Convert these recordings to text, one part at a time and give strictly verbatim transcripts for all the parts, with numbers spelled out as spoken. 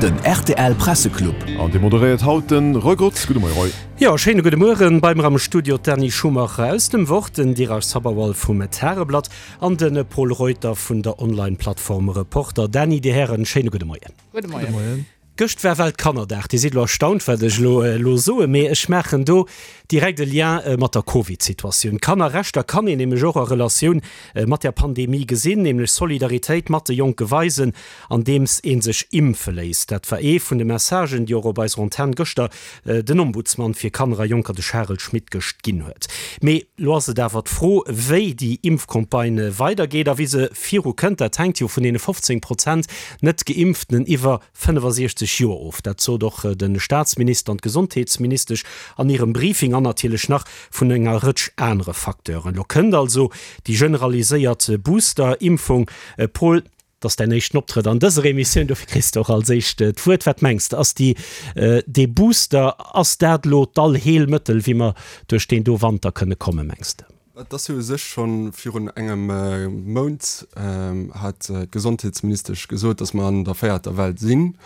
Den rtl Presseclub. An dee moderéiert haut de Roy Grotz. Gudde Moie Roy. Jo, schéine gudde Mueren. Bei mer am Studio d'Dany Schumacher aus dem Wort, den Dheeraj Sabharwal vum Tageblatt an de Pol Reuter vun der Online-Plattform Reporter. Dany, Dir Hären, schéine gudde Moien. Gudde Moien. Gëscht war Weltkannerdag. Dir sidd elo erstaunt, wat ech elo elo soen, mee ech maachen do direkt e Lien mat der Covid-Situatioun. Kannerrechter kann een nämlech och a Relatioun mat der Pandemie gesinn, nämlech Solidaritéit mat de Jonke weisen, andeems ee sech impfe léisst. Dat war ee vun de Messagen, déi och op eiser Antenn gëschter den Ombudsman fir Kanner a Jonker, de Charel Schmit, gëscht ginn huet. Mee elo ass et awer d'Fro, wéi déi Impfcampagne weidergeet a wéi se viru kënnt. Dat hänkt jo vun deene fofzéng Prozent net Geimpften iwwer fënnefasiechzeg Joer of. Dat sot och de Staatsminister an d'Gesondheetsministesch an hirem Briefing an natierlech nach vun enger Rëtsch anere Facteuren. Elo kënnt also déi generaliséiert Booster-Impfung. Paul, dat ass däin éischten Optrëtt an dëser Emissioun, dofir kriss de och als éischt d'Wuert. Wat mengs de, ass déi, dee Booster, ass dat elo d'Allheelmëttel, wéi mer duerch deen do Wanter kënne kommen, mengs de? Et ass jo u sech scho virun engem Mount hat d'Gesondheetsministesch gesot, datt mer an der véierter Well sinn.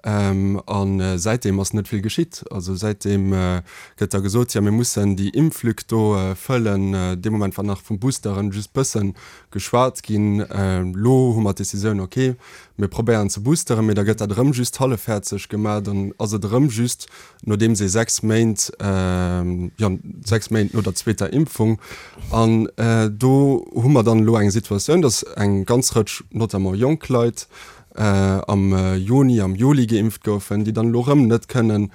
A säitdeem ass net vill geschitt. Also säitdeem gëtt da gesot, jo mir mussen déi Impflück do fëllen. Dee Moment war nach vum Boosteren just bësse geschwat ginn. Elo hu mer d'Decisioun, okay, mir probéieren ze boosteren, mee da gëtt dat erëm just hallefhäerzeg gemaach. Dann ass et erëm just nodeems ee sechs Méint, jo, sechs Méint no der zweeter Impfung. An do hu mer dann elo eng Situatioun, datt eng ganz Rëtsch, notamment jonk Leit, am Juni, am Juli geimpft goufen, déi dann elo erëm net kënnen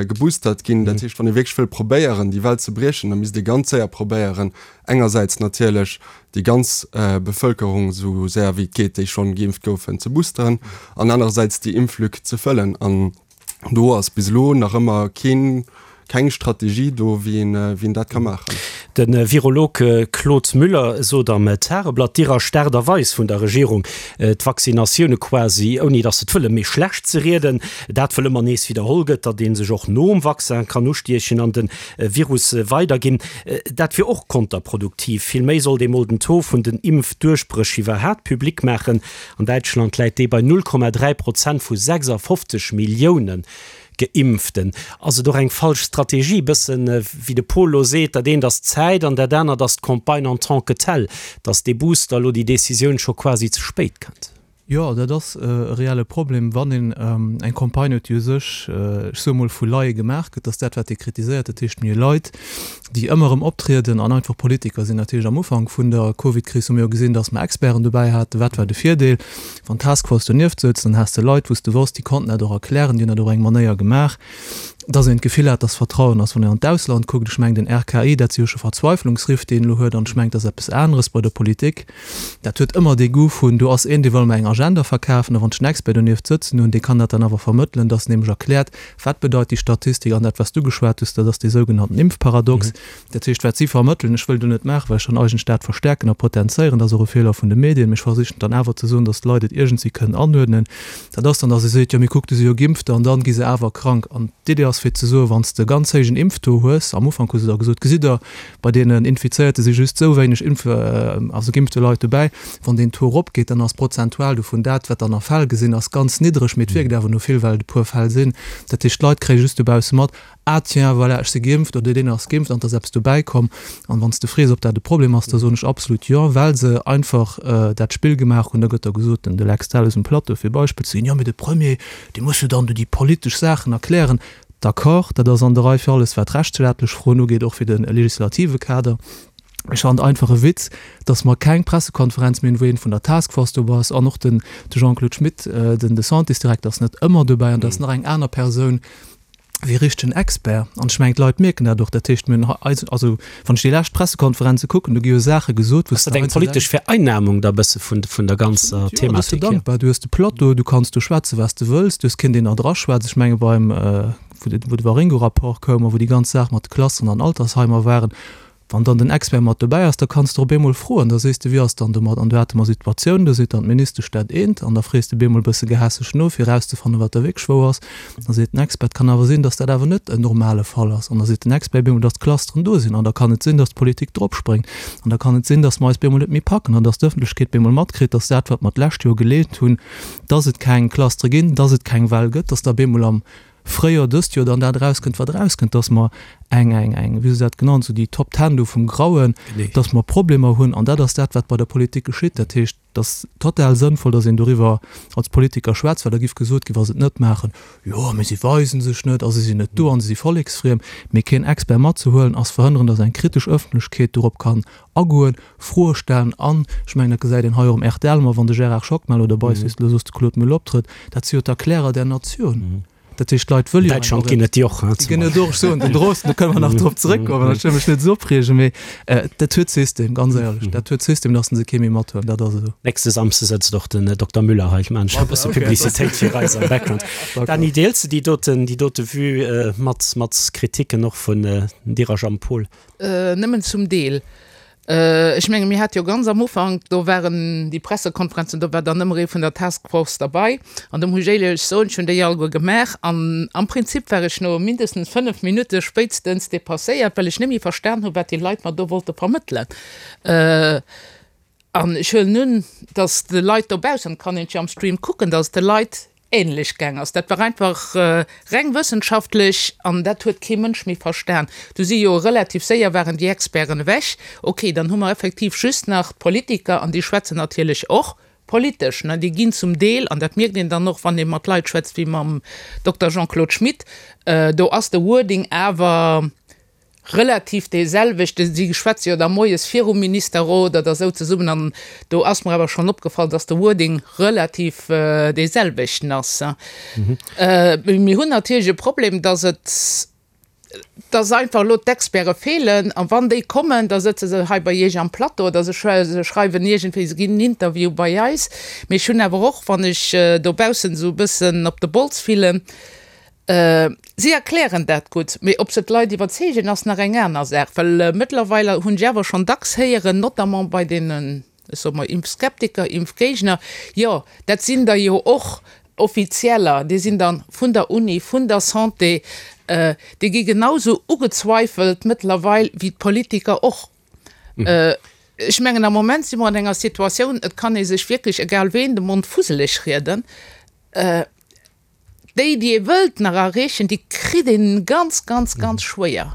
geboostert ginn. Dat heescht, wann ee wierklech wëll probéieren, déi Well ze briechen, da misst ee ganz séier probéieren, engersäits natierlech déi ganz Bevëlkerung esou séier wéi et geet, déi schonn geimpft goufen, ze boosteren an anerersäits déi Impflück ze fëllen. An do ass bis elo nach ëmmer keen, keng Strategie do, wéi een, wéi een dat ka maachen. De Virolog Claude Müller sot am Tageblatt, d'Iresch d'Aart a Weis vun der Regierung, d'Vaccinatioune quasi, ouni datt se et wëllen, méi schlecht ze rieden. Dat wëll ëmmer nees widderholl gëtt, datt ee sech och nom Vaccin kann ustiechen an de Virus weiderginn, dat wier och konterproduktiv. Vill méi sollt ee mol den Taux vun den Impfduerchbréch iwwerhaapt public maachen. An Däitschland läit dee bei null Komma dräi Prozent vu sechsafofzeg Milliounen Geimpften. Ass et och eng falsch Strategie, bëssen wéi de Paul elo seet, dat eent ass d'Zäit an dat anert ass d'Campagne en tant que telle, datt dee Booster elo, déi Decisioun scho quasi ze spéit kënnt? Jo, dat ass e reelle Problem, wann een eng Campagne huet, déi u sech, ech soe mol, vu Laie gemaach gëtt. Dat ass dat, wat Dir kritiséiert. Dat heescht, mir hu Leit, déi ëmmer erëm optrieden an einfach Politiker sinn. Dat heescht, am Ufank vun der Covidkris hu mir jo gesinn, datt mer Experten dobäi haten. Wat war de Virdeel? Wann d'Task Force donieft souz, dann has de Leit, wou s de wosst, déi konnten dat och erklären, déi hunn dat och op eng Manéier gemaach, datt een d'Gefill hat, datt Vertrauen ass. Wann een an d'Ausland kuckt, ech mengen den R K I, dat si jo scho Verzweiflungsriff, déi een elo huet, an ech mengen, dat ass eppes aneres bei der Politik. Dat huet ëmmer dee Goût vun, do ass een, dee wëll mer eng Agenda verkafen, a wann ech en Expert donieft sëtzen hunn, dee kann dat dann awer vermëttelen, datt en nämlech erkläert, wat bedeit déi Statistik an dat, wat s du geschwat hues, dat ass dee sougenannten Impfparadox. Dat heescht, wat si vermëttelen, ech wëll do net maachen, well ech dann eigentlech dat verstärken a potenzéieren, dat ass och e Feeler vun de Medien, mee ech versichen dann awer ze soen, datt d'Leit et iergendwéi kënnen anuerdnen, dat ass dann, datt ee seet, jo mee kuck, déi si jo geimpft an dann gi se awer krank. An d'Idee ass fir ze soen, wann s de e ganz héijen Impftaux hues, am Ufank hu se da gesot, gesitt Der, bei deenen Infizéierte si just esou wéineg Impf, also geimpfte Leit dobäi, wann deen Taux eropgeet, dann ass prozentual dovun dat, wat dann a Fäll gesinn ass, ganz niddreg, mee et wierkt awer no vill, well et e puer Fäll sinn. Dat heescht, d'Leit kréie just dobausse mat, Ah tiens, voilà, ech si geimpft oder deen ass geimpft an et ass eppes dobäi komm. An wann s de frees, ob dat e Problem ass, da soen ech absolut jo, well se einfach dat Spill gemaach hunn. Da gëtt da gesot, den de Lex Delles um Plateau fir Beispill ze ginn, jo mee de Premier, dee muss jo dann do déi politesch Saachen erklären. D'accord, dat ass an der Rei fir alles wat rechtsstaatlech Froen ugeet, och fir de legislative Kader. Ech fannen et einfach e Witz, datt mer keng Pressekonferenz méi hunn, wou een vun der Task Force dobei ass an och den de Jean-Claude Schmit, den de Santésdirekter ass net ëmmer dobäi an da ass nach eng aner Persoun wéi richtegen Expert. An ech mengen, d'Leit mierken dat och. Dat heescht, mir hunn hei, also wann ech déi lescht Pressekonferenze kucken, do gi jo Saache gesot, wou s de. Ass dat eng politesch Vereinnahmung da bësse vun vun der ganzer Thematik? Jo, da bass du hier? dankbar. Du hues de Plateau, du kanns do schwätze wat s de wëlls, du hues keen, deen der draschwätzt. Ech menge beim, wou de wou de Waringo-Rapport koum a wou déi ganz Saach mat de Klassen an Altersheimer waren, Wann dann den Expert mat dobäi ass, da kanns de op eemol froen, da sees de, wéi ass dann domat? An do hate mer Situatiounen, do seet dann d'Ministesch dat eent an da frees de bemol e bësse gehässeg no, fir erauszefannen, wat da wierklech wou ass. Da seet den Expert, kann awer sinn, datt dat awer net en normale Fall ass. An da seet den Expert bemol, datt d'Clusteren do sinn. An da kann et sinn, datt d'Politik dropspréngt. An da kann et sinn, datt mer eis bemol net méi packen an datt d'Ëffentlechkeet bemol matkritt, datt dat, wat mer d'lescht Joer geleent hunn, datt et keng Clustere ginn, datt et keng Well gëtt, datt da bemol am Fréijoer dëst Joer dann dat erauskënnt, wat erauskënnt, dass mer eng, eng, eng, wéi hu se dat genannt, esou déi Top Ten do vum Grauen, dass mer Problemer hunn. An dat ass dat, wat bei der Politik geschitt. Dat heescht, et ass total sënnvoll, dass een doriwwer als Politiker schwätzt, well da giff gesot ginn, wa se et net maachen, jo, mee si weise sech net a si sinn net do a si si volleksfriem. Mee keen Expert matzehuelen, ass verhënneren, dass eng kritesch Ëffentlechkeet dorop kann agoen, Froe stellen an, ech mengen, dat gesäit een hei och um rtl ëmmer, wann de Gérard Schockmel oder beispillsweis elo soss de Claude Muller optrëtt, dat si jo d'Erklärer der Natioun. Dat heescht, d'Leit wëlle jo eng Däitschland ginn et déi och, Déi ginn et och. Ech soen den Drosten, do kënne mer nach drop zeréckkommen, ech wëll mech net esou opreegen, mee dat huet System, ganz éierlech, dat huet System, datt se kee méi mathuelen, dat ass esou. Nächste Samsde sëtzt och den Dokter Müller hei. Ech maachen scho e bësse Publicitéit fir eis am Background. Dany, deels de déi doten, déi dote Vue mat, mat Kriticken och vun dir a Jean-Paul? Nëmmen zum Deel. Ech menge mir hate jo ganz am Ufank, do waren déi Pressekonferenzen, do war dann ëmmer ee vun der Task Force derbei. An do muss ech éierlech soen, ech hunn déi alleguer gemaach an am Prinzip war ech no mindestens fënnef Minutte spéitstens depasséiert, well ech net méi verstan hu wat déi Leit mer do wollte vermëttelen. An ech huelen un, datt de Leit dobaussen, et kann een et jo am Stream kucken, datt et de Leit ähnlech gaang ass. Dat war einfach reng wëssenschaftlech an dat huet kee Mënsch méi verstan. Du si jo relativ séier waren déi Experten ewech. Ok, dann hu mer effektiv just nach d'Politiker an déi schwätzen natierlech och politesch. Ne, déi ginn zum Deel, an dat mierkt een dann och, wann ee mat Leit schwätzt wéi mam Dokter Jean-Claude Schmit, do ass de Wording awer relativ dee selwechte, si schwätze jo da moies virum Ministerrot oder esou zesummen an do ass mer awer schonn opgefall, dass de Wording relativ dee selwechten ass. Mir hunn natierlech e Problem, dass et, dass einfach elo d'Experte feelen a wann déi kommen, da sëtze se hei bei Iech am Plateau oder se schreiwen iergendwéi, se ginn en Interview bei eis. Mee ech hunn awer och, wann ech dobaussen esou e bëssen op de Bols fillen, Si erklären dat gutt, mee ob se d'Leit iwwerzeegen, ass nach eng aner Saach. Well mëttlerweil hunn ech awer schonn dacks héieren, notamment bei deenen, ech soe mol, Impfskeptiker, Impfgéigner, jo, dat sinn der jo och Offizieller, déi sinn dann vun der Uni, vun der Santé, déi gi genausou ugezweifelt mëttlerweil wéi d'Politiker och. Ech mengen, am Moment si mer an enger Situatioun, et kann ee sech wierklech, egal ween, de Mond fuseleg rieden. Déi, déi ee wëllt nach erreechen, déi kritt een ganz, ganz, ganz schwéier.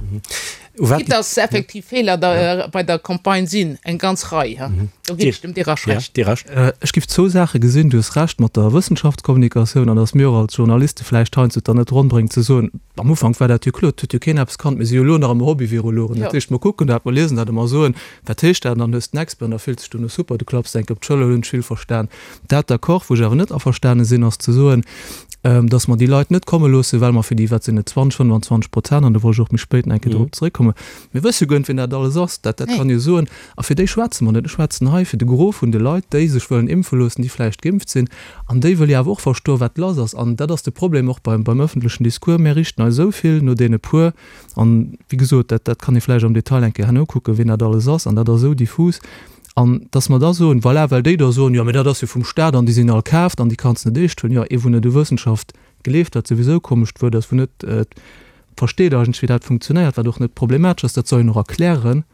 Quitte dass effektiv Feeler da bei der Campagne sinn, eng ganz Rei, do ginn ech dem Dirasch Recht. Ech géif zwou Saache gesinn. Du hues Recht mat der Wëssenschaftskommunikatioun an dass mir och als Journaliste vläicht heiansdo et dann net ronn bréngen ze soen, am Ufank war dat jo kloer, et huet jo keen eppes kannt, mir si jo elo nach ëmmer Hobby-Virologen. Dat heescht, mer kucken dat, mer liesen dat a mer soen, wat heescht dat? An dann hues de den Expert an da fills de dech dono super, du klapps enk op d'Schëller, hunn ech vill verstan. Dat d'accord. Wou ech awer net averstane sinn, ass ze soen, dass mer déi Leit net komme loossen, well mer fir déi, wat sinn et, zwanzeg, fënnwanzwanzeg Prozent, an do wollt ech och méi spéit nach eng Kéier drop zeréckkommen, mir wësse jo guer net, wien dat alles ass, dat, dat kann ee soen, a fir déi schwätze mer net. Ech schwätzen hei fir de Gros vun de Leit, déi sech wëllen impfe loossen, déi vläicht geimpft sinn, an déi wëlle jo awer och verstoen, wat lass ass. An dat ass de Problem och beim, beim öffentlechen Discours, Mir riichten eis esou vill no deene puer, an wéi gesot, dat, dat kann ee vläicht am Detail eng Kéier herno kucken, wien dat alles ass, an dat ass esou diffus. An dass mer da soen, voilà, well déi da soen, jo, mä dat ass jo vum Stat an déi sinn all kaaft an déi kanns de net eescht huelen. Jo, ee wou net u Wëssenschaft gleeft, wat souwisou e komescht Wuert ass, wou net versteet eigentlech, wéi dat funktionéiert, wat och net problematesch ass, dat soll een och erklären,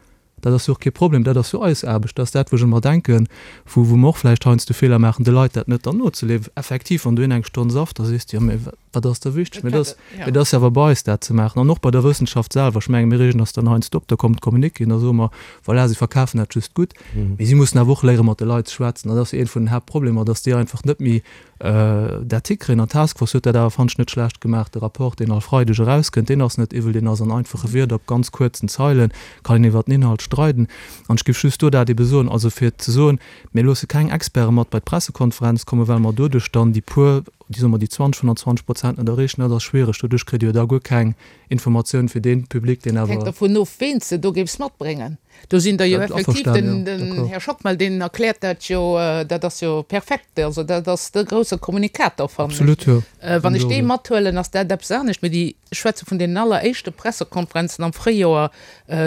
dat ass jo och kee Problem, dat ass jo eis Aarbecht, dat ass dat, wou ech ëmmer denken, wou wou mer och vläicht heiansdo Feeler maachen, de Leit dat net dann nozeleeën. Effektiv, wann du een eng Stonn safft, da sees de, jo, mä wat ass da wichteg? Mä dat ass, dat ass jo awer bei eis dat ze maachen an och bei der Wëssenschaft selwer. Ech menge mir reegen eis dann heiansdo op, da kommt d'Communiquéen, da soe mer, voilà, si verkafen dat just gutt. Mee si mussen awer och léiere mat de Leit ze schwätzen. Dat ass jo eent vun den Haaptproblemer, datt déi einfach net méi dat hikréien. An d'Task Force huet dat awer, fannen ech, net schlecht gemaach. De Rapport, deen all Freideg erauskënnt, deen ass net iwwel, deen ass an einfache Wierder, op ganz kuerzen Zeilen, kann een iwwert den Inhalt streiden. An ech géif just do dat ebe soen, also fir ze soen, mir loosse keng Experte mat bei d'Pressekonferenz kommen, well mer doduerch dann déi puer, déi, soe mer, déi zwanzeg, fënnanzwanzeg Prozent net erreechen, dat ass schwiereg. Doduerch kritt Dir jo da guer keng Informatioun fir dee Public, deen awer. Hänkt dervun of, ween s de do géifs matbréngen. Do sinn der jo effektiv, den, den Här Schockmel, deen erkläert dat jo, dat ass jo perfekt, also dat ass de grousse Kommunikator, fannen ech. Absolut, jo. Wann ech dee mathuelen, ass dat eppes anescht. Mee déi, ech schwätze vun deenen alleréischte Pressekonferenzen am Fréijoer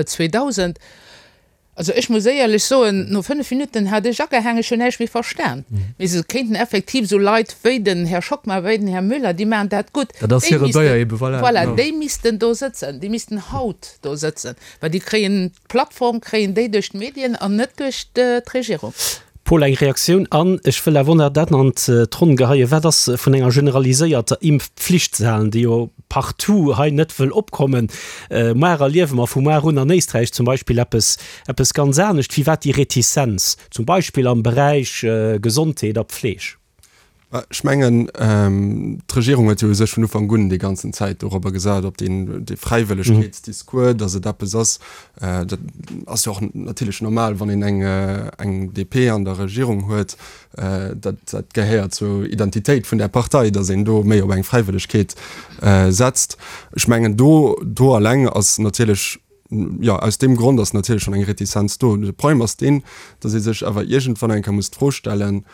zweedausend. Also ech muss éierlech soen, no fënnef Minutten hat ech agehaang, ech hunn näischt méi verstan. Mee se kéinten effektiv esou Leit wéi den Här Schockmel, wéi den Här Müller, déi maachen dat gutt, Dat ass déi hire missten, Béier ebe, voilà, voilà, genau. déi missten do sëtzen, déi missten haut do sëtzen, well déi kréien d'Plattform kréien déi duerch d'Medien an net duerch d'Regierung. Paul, eng Reaktioun an ech wëll awer nach dat an d'Ronn geheien, Wat ass vun enger generaliséierter Impfpflicht ze halen, déi jo partout hei net wëll opkommen? Muar erliewe mer vu muar un an Éisträich zum Beispill eppes, eppes ganz anescht. Firwat déi Retizenz, zum Beispill am Beräich Gesondheet a Pfleg? Ech mengen, d'Regierung huet jo u sech vun Ufank un déi ganzen Zäit dorobber gesat, op deen, dee Fräiwëllegkeetsdiscours, datt et eppes ass, dat ass jo och natierlech normal, wann een eng, eng D P an der Regierung huet, dat, dat gehéiert zur Identitéit vun där Partei, datt een do méi op eng Fräiwëllegkeet setzt. Ech mengen, do, do alleng ass natierlech, jo, aus deem Grond ass natierlech schonn eng Retizenz do. De Problem ass deen, datt ee sech awer iergendwann eng Kéier muss d'Fro stellen,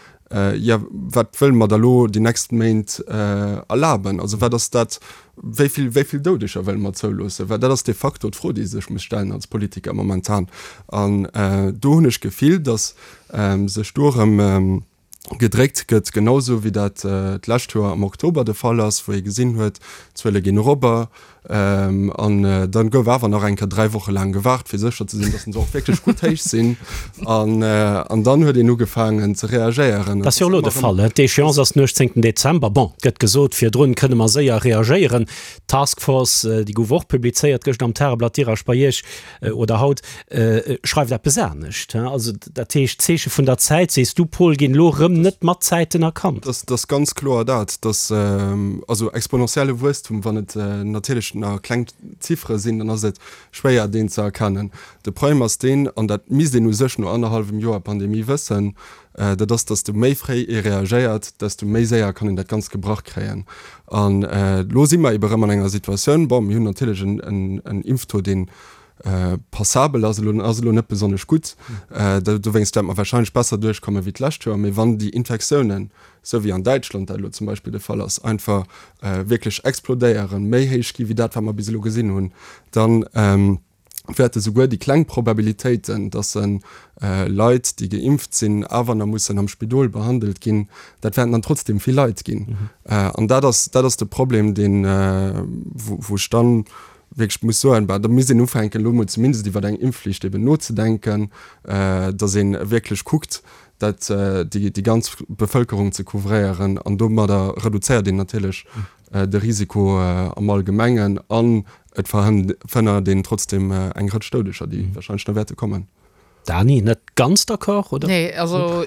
jo, wat wëlle mer da lo déi nächst Méint erlaben? Also wat ass dat, wéi vill, wéi vill Doudeger wëlle mer zouloossen? Well dat ass de facto d'Fro, déi ee sech muss stellen als Politiker momentan. An do hunn ech d'Gefill, datt sech do erëm gedréckt gëtt, genau sou wéi dat d'lescht Joer am Oktober de Fall ass, wou ee gesinn huet, d'Zuele ginn erobber an dann gouf awer nach eng Kéier dräi Woche laang gewaart, fir sécher ze sinn, datt se och wierklech gutt héich sinn an an dann huet een ugefaangen ze reagéieren. Dat ass jo elo de Fall. D'Échéance ass den uechtzéngten Dezember. Bon, et gëtt gesot, virdrun kënne mer séier reagéieren. D'Task Force, déi gouf och publizéiert gëscht am Tageblatt, Dir a Spayech oder haut, schreift eppes anescht. Also dat heescht, d'Zeeche vun der Zäit, sees du, Paul, ginn elo erëm net mat Zäiten erkannt. Dat ass ganz kloer dat, dass also exponentielle Wuesstum, wann et natierlech nach kleng Ziffere sinn, dann ass et schwéier deen ze erkennen. De Problem ass deen, an dat misst een u sech no annerhallwem Joer Pandemie wëssen, dat ass, dass du méi fréi ee reagéiert, desto méi séier kann een dat Ganzt gebrach kréien. An elo si mer ebe rëm an enger Situatioun, bon, mir hunn natierlech en Impftaux, deen passabel ass elo, ass elo net besonnesch gutt, dowéinst wäerte mer warscheinlech besser duerchkomme wéi d'lescht Joer, mee wann déi Infektiounen, esou wéi an Däitschland dat elo zum Beispill de Fall ass, einfach wierklech explodéieren, méi héich gi wéi dat, wat mer bis elo gesinn hunn, dann wäerte souguer déi kleng Probabilitéiten, dass Leit, déi geimpft sinn, awer nach mussen am Spidol behandelt ginn, dat wäerten dann trotzdem vill Leit ginn. An dat ass, dat ass de Problem, deen, wou ech dann wierklech muss soen, bah, da misst een ufänken, elo emol zumindest iwwer eng Impfflicht eben nozedenken, dass ee wierklech kuckt, dat, déi, déi ganz Bevëlkerung ze couvréieren. An domadder reduzéiert een natierlech de Risiko am Allgemengen an et verhënnert een trotzdem eng Rëtsch Doudeger, déi wahrscheinlech nach wäerte kommen. Dani, net ganz d'accord, oder? Nee, also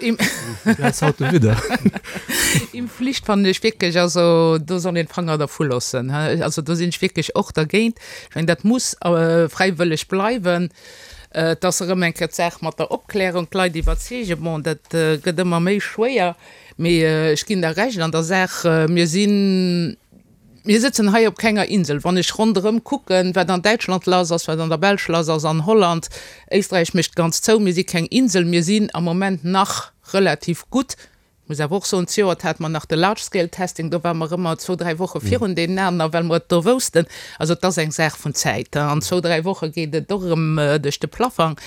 Impfflicht fannen ech wierklech, also do soll een d'Fanger dervu loossen. Also do sinn ech wierklech och dergéint. Ech mengen, dat muss fräiwëlleg bleiwen. Et ass erëm eng Kéier d'Saach mat der Opklärung, d'Leit iwwerzeegen. Bon, dat gëtt ëmmer méi schwéier, mee ech ginn der Recht an der Saach, mir sinn, mir sëtzen hei op kenger Insel. Wann ech ronderëm kucken, wat an Däitschland lass ass, wat an der Belsch lass ass, an Holland, Éisträich mécht ganz zou, mir si keng Insel, mir sinn am Moment nach relativ gutt. Muss awer och soen, zejoert hate mer nach de Large Scale Testing, do ware mer ëmmer zwou, dräi Woche virun deenen aner, well mer et do woussten. Also et ass eng Saach vun Zäit. An zwou, dräi Woche geet et och erëm duerch de Plafang.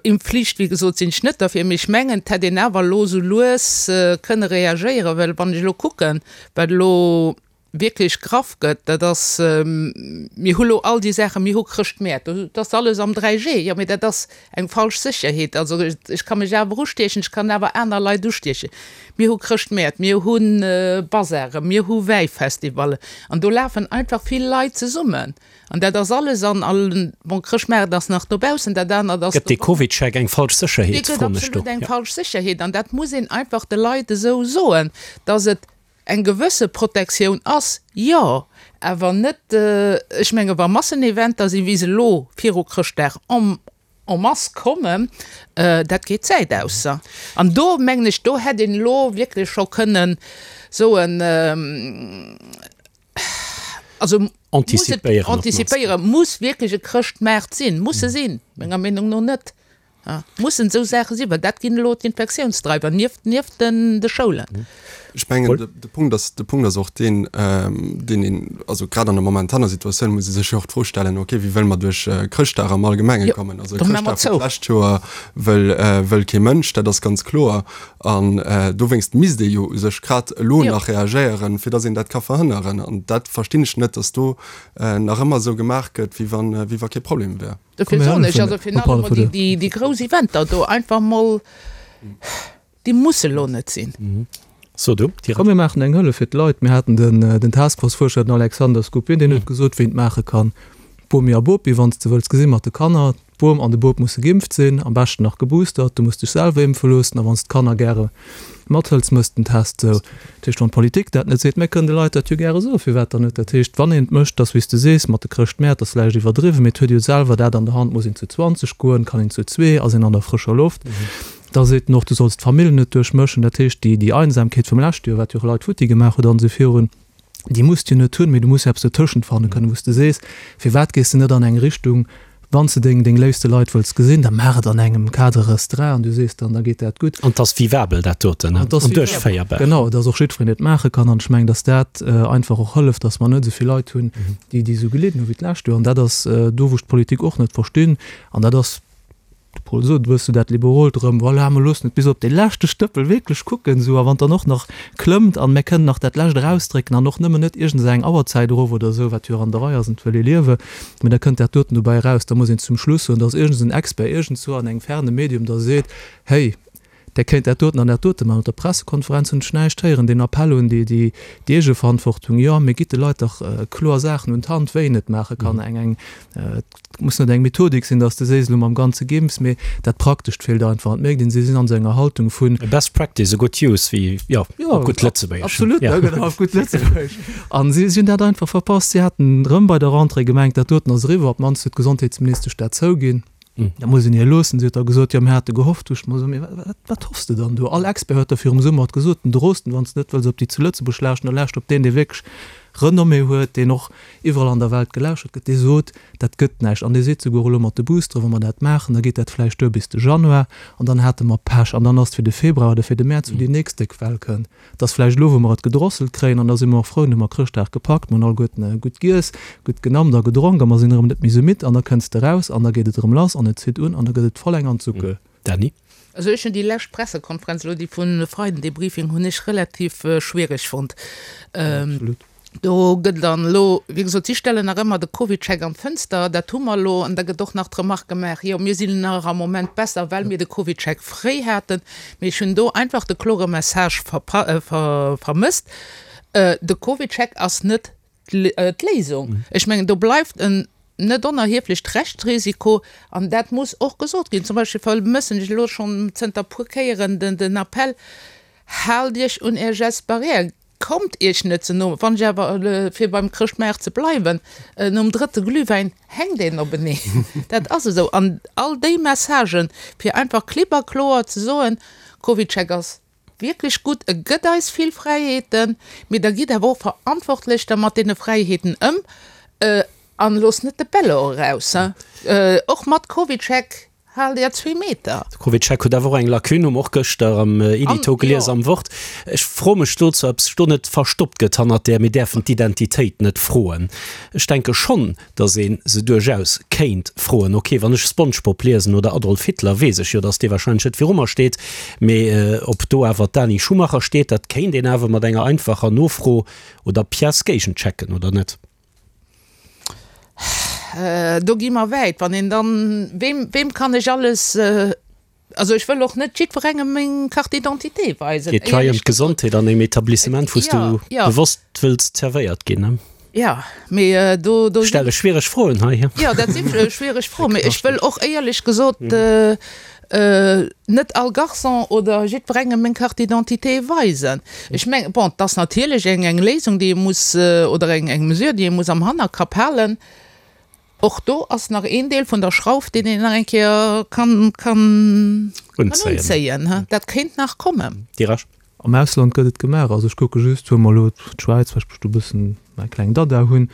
Impfflicht, wéi gesot, sinn ech net derfir, mee ech mengen, et hätt een awer elo esou lues kënne reagéieren, well wann ech elo kucken, wat elo wierklech graff gëtt, dat ass, mir hu lo all déi Saachen, mir hu Chrëschtmäert, dat ass alles am dräi G, jo, mee dat ass eng falsch Sécherheet. Also ech ka mech awer ustiechen, ech kann awer aner Leit ustiechen. Mir hu Chrëschtmäert, mir hu Bazaren, mir hu Wäifestivallen an do lafen einfach vill Leit zesummen an dat ass alles an all, bon, Chrëschtmaart ass nach dobaussen, dat anert ass Gëtt dee CovidCheck eng falsch Sécherheet, Dee gëtt absolut eng falsch Sécherheet an dat muss een einfach de Leit esou soen, dass et eng gewësse Protektioun ass, jo, awer net, ech menge wa Masseneventer sinn, wéi se elo viru Chrëschtdag en en masse kommen, dat geet d'Zäit aus. An do mengen ech, do hätt een elo wierklech scho kënnen soen, also Antizipéieren op d'mannst. Antizipéieren, muss wierklech e Chrëschtmaart sinn? Muss e sinn? Menger Meenung no net. Mussen esou Saache sinn, well dat ginn elo d'Infektiounsdreiwer nieft, nieft den, de Schoulen. Ech mengen, de Punkt ass, de Punkt ass och deen, deen een, also grad an der momentaner Situatioun muss ee sech jo och d'Fro stellen, okay, wéi wëlle mer duerch Chrëschtdag am Allgemenge kommen? Also Chrëschtdag vun d'lescht Joer wëll, wëll kee Mënsch, dat ass ganz kloer. An dowéinst misst ee jo u sech grad elo nach reagéieren, fir datt een dat ka verhënneren. An dat verstinn ech net, datt do nach ëmmer esou gemaach gëtt, wéi wann, wéi wa kee Problem wär. Dofir soen ech, also virun allem emol déi, déi grouss Eventer do einfach mol, déi musse lo net sinn. So du, direkt. Komm mir maachen eng Hëllef fir d'Leit. Mir haten den, den Taskforce-Fuerscher, den Alexander Skupin, deen huet gesot, wéi een et maache kann. Bomi a Bopi, wann s de wëlls gesi mat de Kanner, d'Bom an de Bop musse geimpft sinn, am beschten nach geboostert, du muss dech selwer impfe loossen a wann s d'Kanner gäre mathëls, mëss den Test. Sou, dat heescht, wann d'Politik dat net seet, mir kënnen de Leit dat jo gäre soen, firwat dann net? Dat heescht, wann een et mécht, dass, wéi s de sees, mat de Chrëschtmäert, ass vläicht iwwerdriwwen, mee et huet jo selwer dat an der Hand, muss een zu zwanzeg goen, kann een zu zwee, ass een an der frëscher Loft. Da seet en och, du solls d'Famill net duerchmëschen. Dat heescht, déi, déi Einsamkeet vum leschte Joer, wat jo och Leit futti gemaach huet an esou virun, déi muss de jo net hunn, mee du muss jo eppes dotëschent fanne kënnen, wou s de sees, firwat gees de net an eng Richtung, wann s de deng, deng léifste Leit wëlls gesinn, da maach et an engem Cadre restreint an du sees dann, da geet dat gutt. An 't ass vivabel, dat doten, An 't ass an vivabel, duerchféierbar. Genau, dass och jiddwereen et maache kann. An ech mengen, dass dat einfach och hëlleft, dass mer net esou vill Leit hunn, déi, déi esou gelidden hu wéi d'lescht Joer. An dat ass do, wou ech d'Politik och net verstinn. An dat ass, De Paul sot, wëss du dat Liberolt erëm, voilà, mer loossen et bis op dee leschte Stëppel wierklech kucken, esou, a wann dann och nach klëmmt an mer kënnen nach dat lescht erausdrécken an och nëmmen net iergend esou eng Auerzäit erof oder esou, wat jo och an der Rei ass an et wëll ee liewe, mä da kënnt dat doten dobäi eraus. Da muss een zum Schluss soen, dass iergend esou en Expert iergendzwou an engem ferne Medium da seet, hey, där kéint dat doten an dat dote maachen. Op der Pressekonferenz hunn ech näischt héieren, deen Appell un déi, déi Eegeverantwortung, jo, mee gitt de Leit dach kloer Saachen un d'Hand, wéi een et maache kann. Eng, eng, et muss net eng Methodik sinn, dass de sees, elo mam ganze Geimpfs, mee dat Praktescht feelt einfach. An et mierkt een, si sinn an esou enger Haltung vun. A best practice, a good use, wéi, jo, op gutt Lëtzebuergesch. Absolut, jo, genau, op gutt Lëtzebuergesch. A si, si hunn dat einfach verpasst. Si haten erëm bei der Rentrée gemengt, dat doten ass eriwwer, op d'mannst huet d'Gesondheetsministesch dat zouginn. Dat muss een hir loossen. Si huet da gesot, jo, mir hate gehofft. Du ech mer esou, mee wat, wat hoffs de dann do? All Expert huet der virum Summer et gesot, den Drosten, wann s de net wëlls op déi zu Lëtzebuerg lauschten, da lauscht op deen, dee wierklech Renommée huet, deen och iwwerall an der Welt gelauschert gëtt, dee sot, dat gëtt näischt. An dee seet souguer elo mat de Boostere, wa mer dat maachen, da geet dat vläicht duer bis de Januar an dann hate mer Pech an dann ass et fir de Februar oder fir de Mäerz, wou déi nächst déck Well kënnt. Et ass vläicht elo, wou mer et gedrosselt kréien, an da si mer och frou, dann hu mer Chrëschtdag gepackt, mer hunn alleguerten gutt giess, gutt genammt a gedronk a mer sinn erëm net méi esou midd an da kënns de raus an da geet et erëm lass an et zitt un an da gëtt et voll eng an d'Suckel. Dany? Also ech hunn déi lescht Pressekonferenz elo, déi vun e Freiden, dee Briefing hunn ech relativ schwiereg fonnt. Absolut. Do gëtt dann elo, wéi gesot, si stellen nach ëmmer de CovidCheck an d'Fënster, dat hu mer elo, an da gëtt och nach d'Remark gemaach, jo mir sinn nach am Moment besser, well mir de CovidCheck fréi haten. Mee ech hunn do einfach de klore Message vermësst, De CovidCheck ass net d'Léisung. Ech mengen, do bleift en net onerhieflecht Rechtsrisiko, an dat muss och gesot ginn. Zum Beispill vermëssen ech elo schonn zënter puer Kéieren den Appell, Haalt Iech un Är Gestes barrières! Kommt iech net ze no. Wann ech awer, fir beim Chrëschtmaart ze bleiwen, nom drëtte Glühwäin hänkt een openeen. Dat ass esou. An all déi Messagen, fir einfach klipp a kloer ze soen, CovidCheck ass wierklech gutt, e gëtt eis vill Fräiheeten, mee da gitt awer och verantwortlech da mat deene Fräiheeten ëm an loosst net de Bello eraus. Och mat CovidCheck. Haalt Är zwee Meter! De CovidCheck huet awer och eng Lacune, hu mer och gëschter am Edito gelies am Wort. Ech froe mech dozou, ob sech do net verstoppt gëtt hannert där mir däerfen d'Identitéit net froen. Ech denke schonn, datt ee se duerchaus kéint froen. Ok, wann ech Spongebob liesen oder Adolf Hitler, weess ech jo, datt dee warscheinlech net viru mer steet. Mee ob do awer d'Dani Schumacher steet, dat kéint een awer mat enger einfacher Nofro oder Pièce géigenchecken, oder net? Do gi mer wäit, wann een dann, weem, weem kann ech alles, also ech wëll och net jiddwerengem meng Carte d'identité weisen, Geet hei ëm éierlech gesot. d'Gesondheet an engem Etablissement, wou s du Ja, ja. bewosst wëlls zerwéiert ginn, ne? Ja, mee do, do Ech stelle schwiereg Froen hei, he? Jo, dat si schwiereg Froen, mee ech wëll och éierlech gesot net all Garçon oder jiddwerengem meng Carte d'identité weisen. Ech mengen, bon, et ass natierlech eng, eng Léisung, déi ee muss, oder eng, eng Mesure, déi ee muss am Hannerkapp halen. Och do ass nach een Deel vun der Schrauf, deen een nach eng Kéier kann, kann, kann Unzéien. unzéien. Dat kéint nach kommen. Dirasch. Am Ausland gëtt et gemaach. Also ech kucke just, huele mer elo d'Schwäiz, well ech do e bëssen mäi kleng Dada hunn.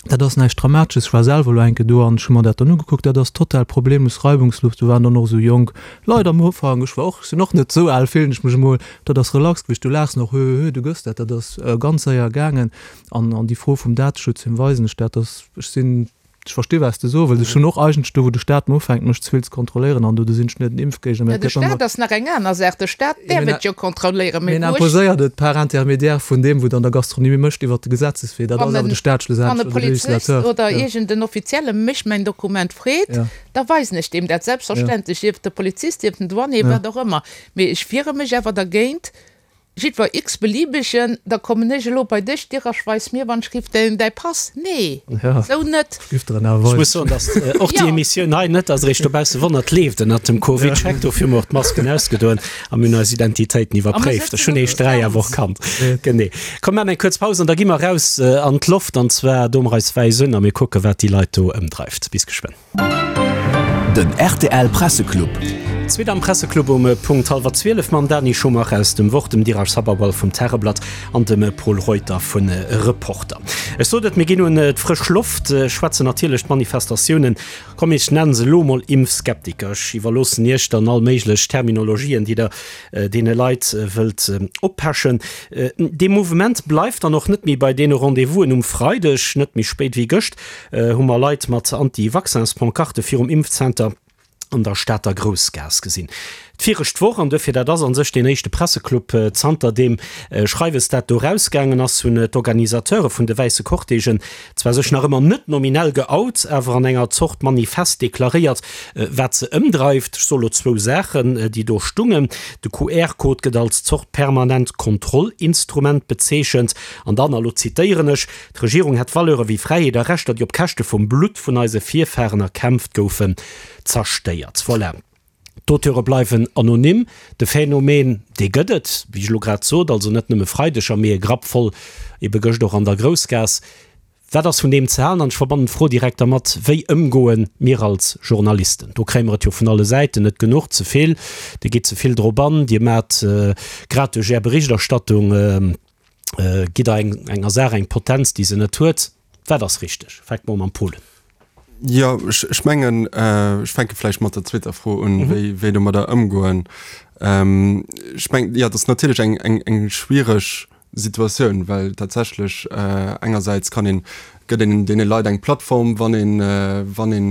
Dat ass näischt Dramatesches. Ech war selwer elo eng Kéier do an ech hu mer dat dann ugekuckt. Dat ass total problemlos, reibungslos. Do waren dann och esou jonk Leit am Ufank. Ech war och, ech sinn och net esou al, fillen ech mech emol. Dat ass relax gewiescht. Du laachs nach, hö, hö, du gëss dat. Dat ass ganz séier gaangen. An, an déi Fro vum Dateschutz, wiem weisen ech dat? Dass ech sinn Ech versti wat s de soe wëlls. Ech hunn och eigentlech do wou de Staat mer ufänkt mech ze vill ze kontrolléieren an do do sinn ech net en Impfgéigner, mä et De gëtt dann Staat ass nach eng aner Saach. De Staat däerf et jo kontrolléieren, mee en wou ech. imposéiert et par intermédiaire vun deem wou et an der Gastronomie mécht iwwert de Gesetzeswee. Dat Wann ass awer en, de Staat wann e schlussendlech oder de Polizist Législateur. oder Jo. iergend en Offizielle mech mäin Dokument freet, Ja. da weisen ech deem dat Ja. selbstverständlech, sief et de Polizist, sief et den Douanier, Ja. wat och ëmmer. Mee ech wiere mech awer dergéint, Jiddwer x-beliebegen, da kommen ech elo bei dech, Dir weis mir wann ech giff däin däi Pass. Nee, sou net. Giff der en awer Ech weisen. muss soen, datt och déi Jo. Emissioun hei net ass eréischt dobausse wonnert, leeft ënnert dem Covid-Check. Dofir hu mer och d'Masken ausgedoen a mir hunn eis Identitéiten A mer iwwerpréift. Ech sëtzen hunn op eréischt dräi awer och Distanz. kannt. Genee. Komm, mir maachen eng kuerz Paus an da gi mer eraus an d'Loft, an zwar doe mer eis wäiss un a mir kucke wat déi Leit do ëmdreift. Bis geschwënn. Den rtl Presseclub. Zweet am Presseclub um Punkt hallwer zwielef mam Dani Schumacher aus dem Wort, dem Dheeraj Sabharwal vum Tageblatt an dem Pol Reuter vun Reporter. Ech sot et, mir ginn un d'frësch Loft, schwätzen natierlech d'Manifestatiounen, komm ech nennen se elo mol Impfskeptiker, ech iwwerloossen iech dann all méiglech Terminologien, déi der deene Leit wëllt oppechen. Dee Mouvement bleift dann och net méi bei deene Rendez-vousen um Freideg, net méi spéit wéi gëscht hu mer Leit mat Anti-Vaccins-Pancarte virum Impfzenter an der Stater Groussgaass gesinn. D'virecht Woch, an duerfir dat ass a sech deen éischte Presseclub zanter deem Schreiwes dat do erausgaangen ass, hunn d'Organisateure vun de wäisse Cortègen zwar sech nach ëmmer net nominell geout, awer an enger Zort Manifest deklaréiert, wat se ëmdreift. Ech soe lo zwou Saachen, déi do stungen, De Q R-Code gëtt als Zort permanent Kontrollinstrument bezeechent an dann, a lo zitéieren ech, D'Regierung hätt Valeure wéi Fräiheet a Rechter, déi op Käschte vum Blutt vun eise Virfaren erkämpft goufen, zerstéiert. Voilà. D'Auteure bleiwen anonym. De Phänomen, dee gëtt et, wéi ech elo grad sot, also net nëmme Freideger, mee e Grapp voll ebe gëscht och an der Groussgaass. Wat ass vun deem ze halen? An ech verbannen d'Fro direkt dermat, Wéi ëmgoen mir als Journalisten? Do kréie mer et jo vun alle Säiten, net genuch, ze vill, Dir gitt ze vill drop an, Dir maacht grad duerch Är Berichterstattung, gitt Der enger Saach eng Potenz, déi se net huet. Wat ass richteg? Fänke mer u mam Paul. Jo, ech mengen, ech fänke vläicht mat der zweeter Fro un, wéi, wéi domadder ëmgoen. Ech mengen, jo, dat ass natierlech eng, eng, eng schwiereg Situatioun, well tatsächlech engersäits kann een, gëtt een deene Leit eng Plattform, wann een, wann een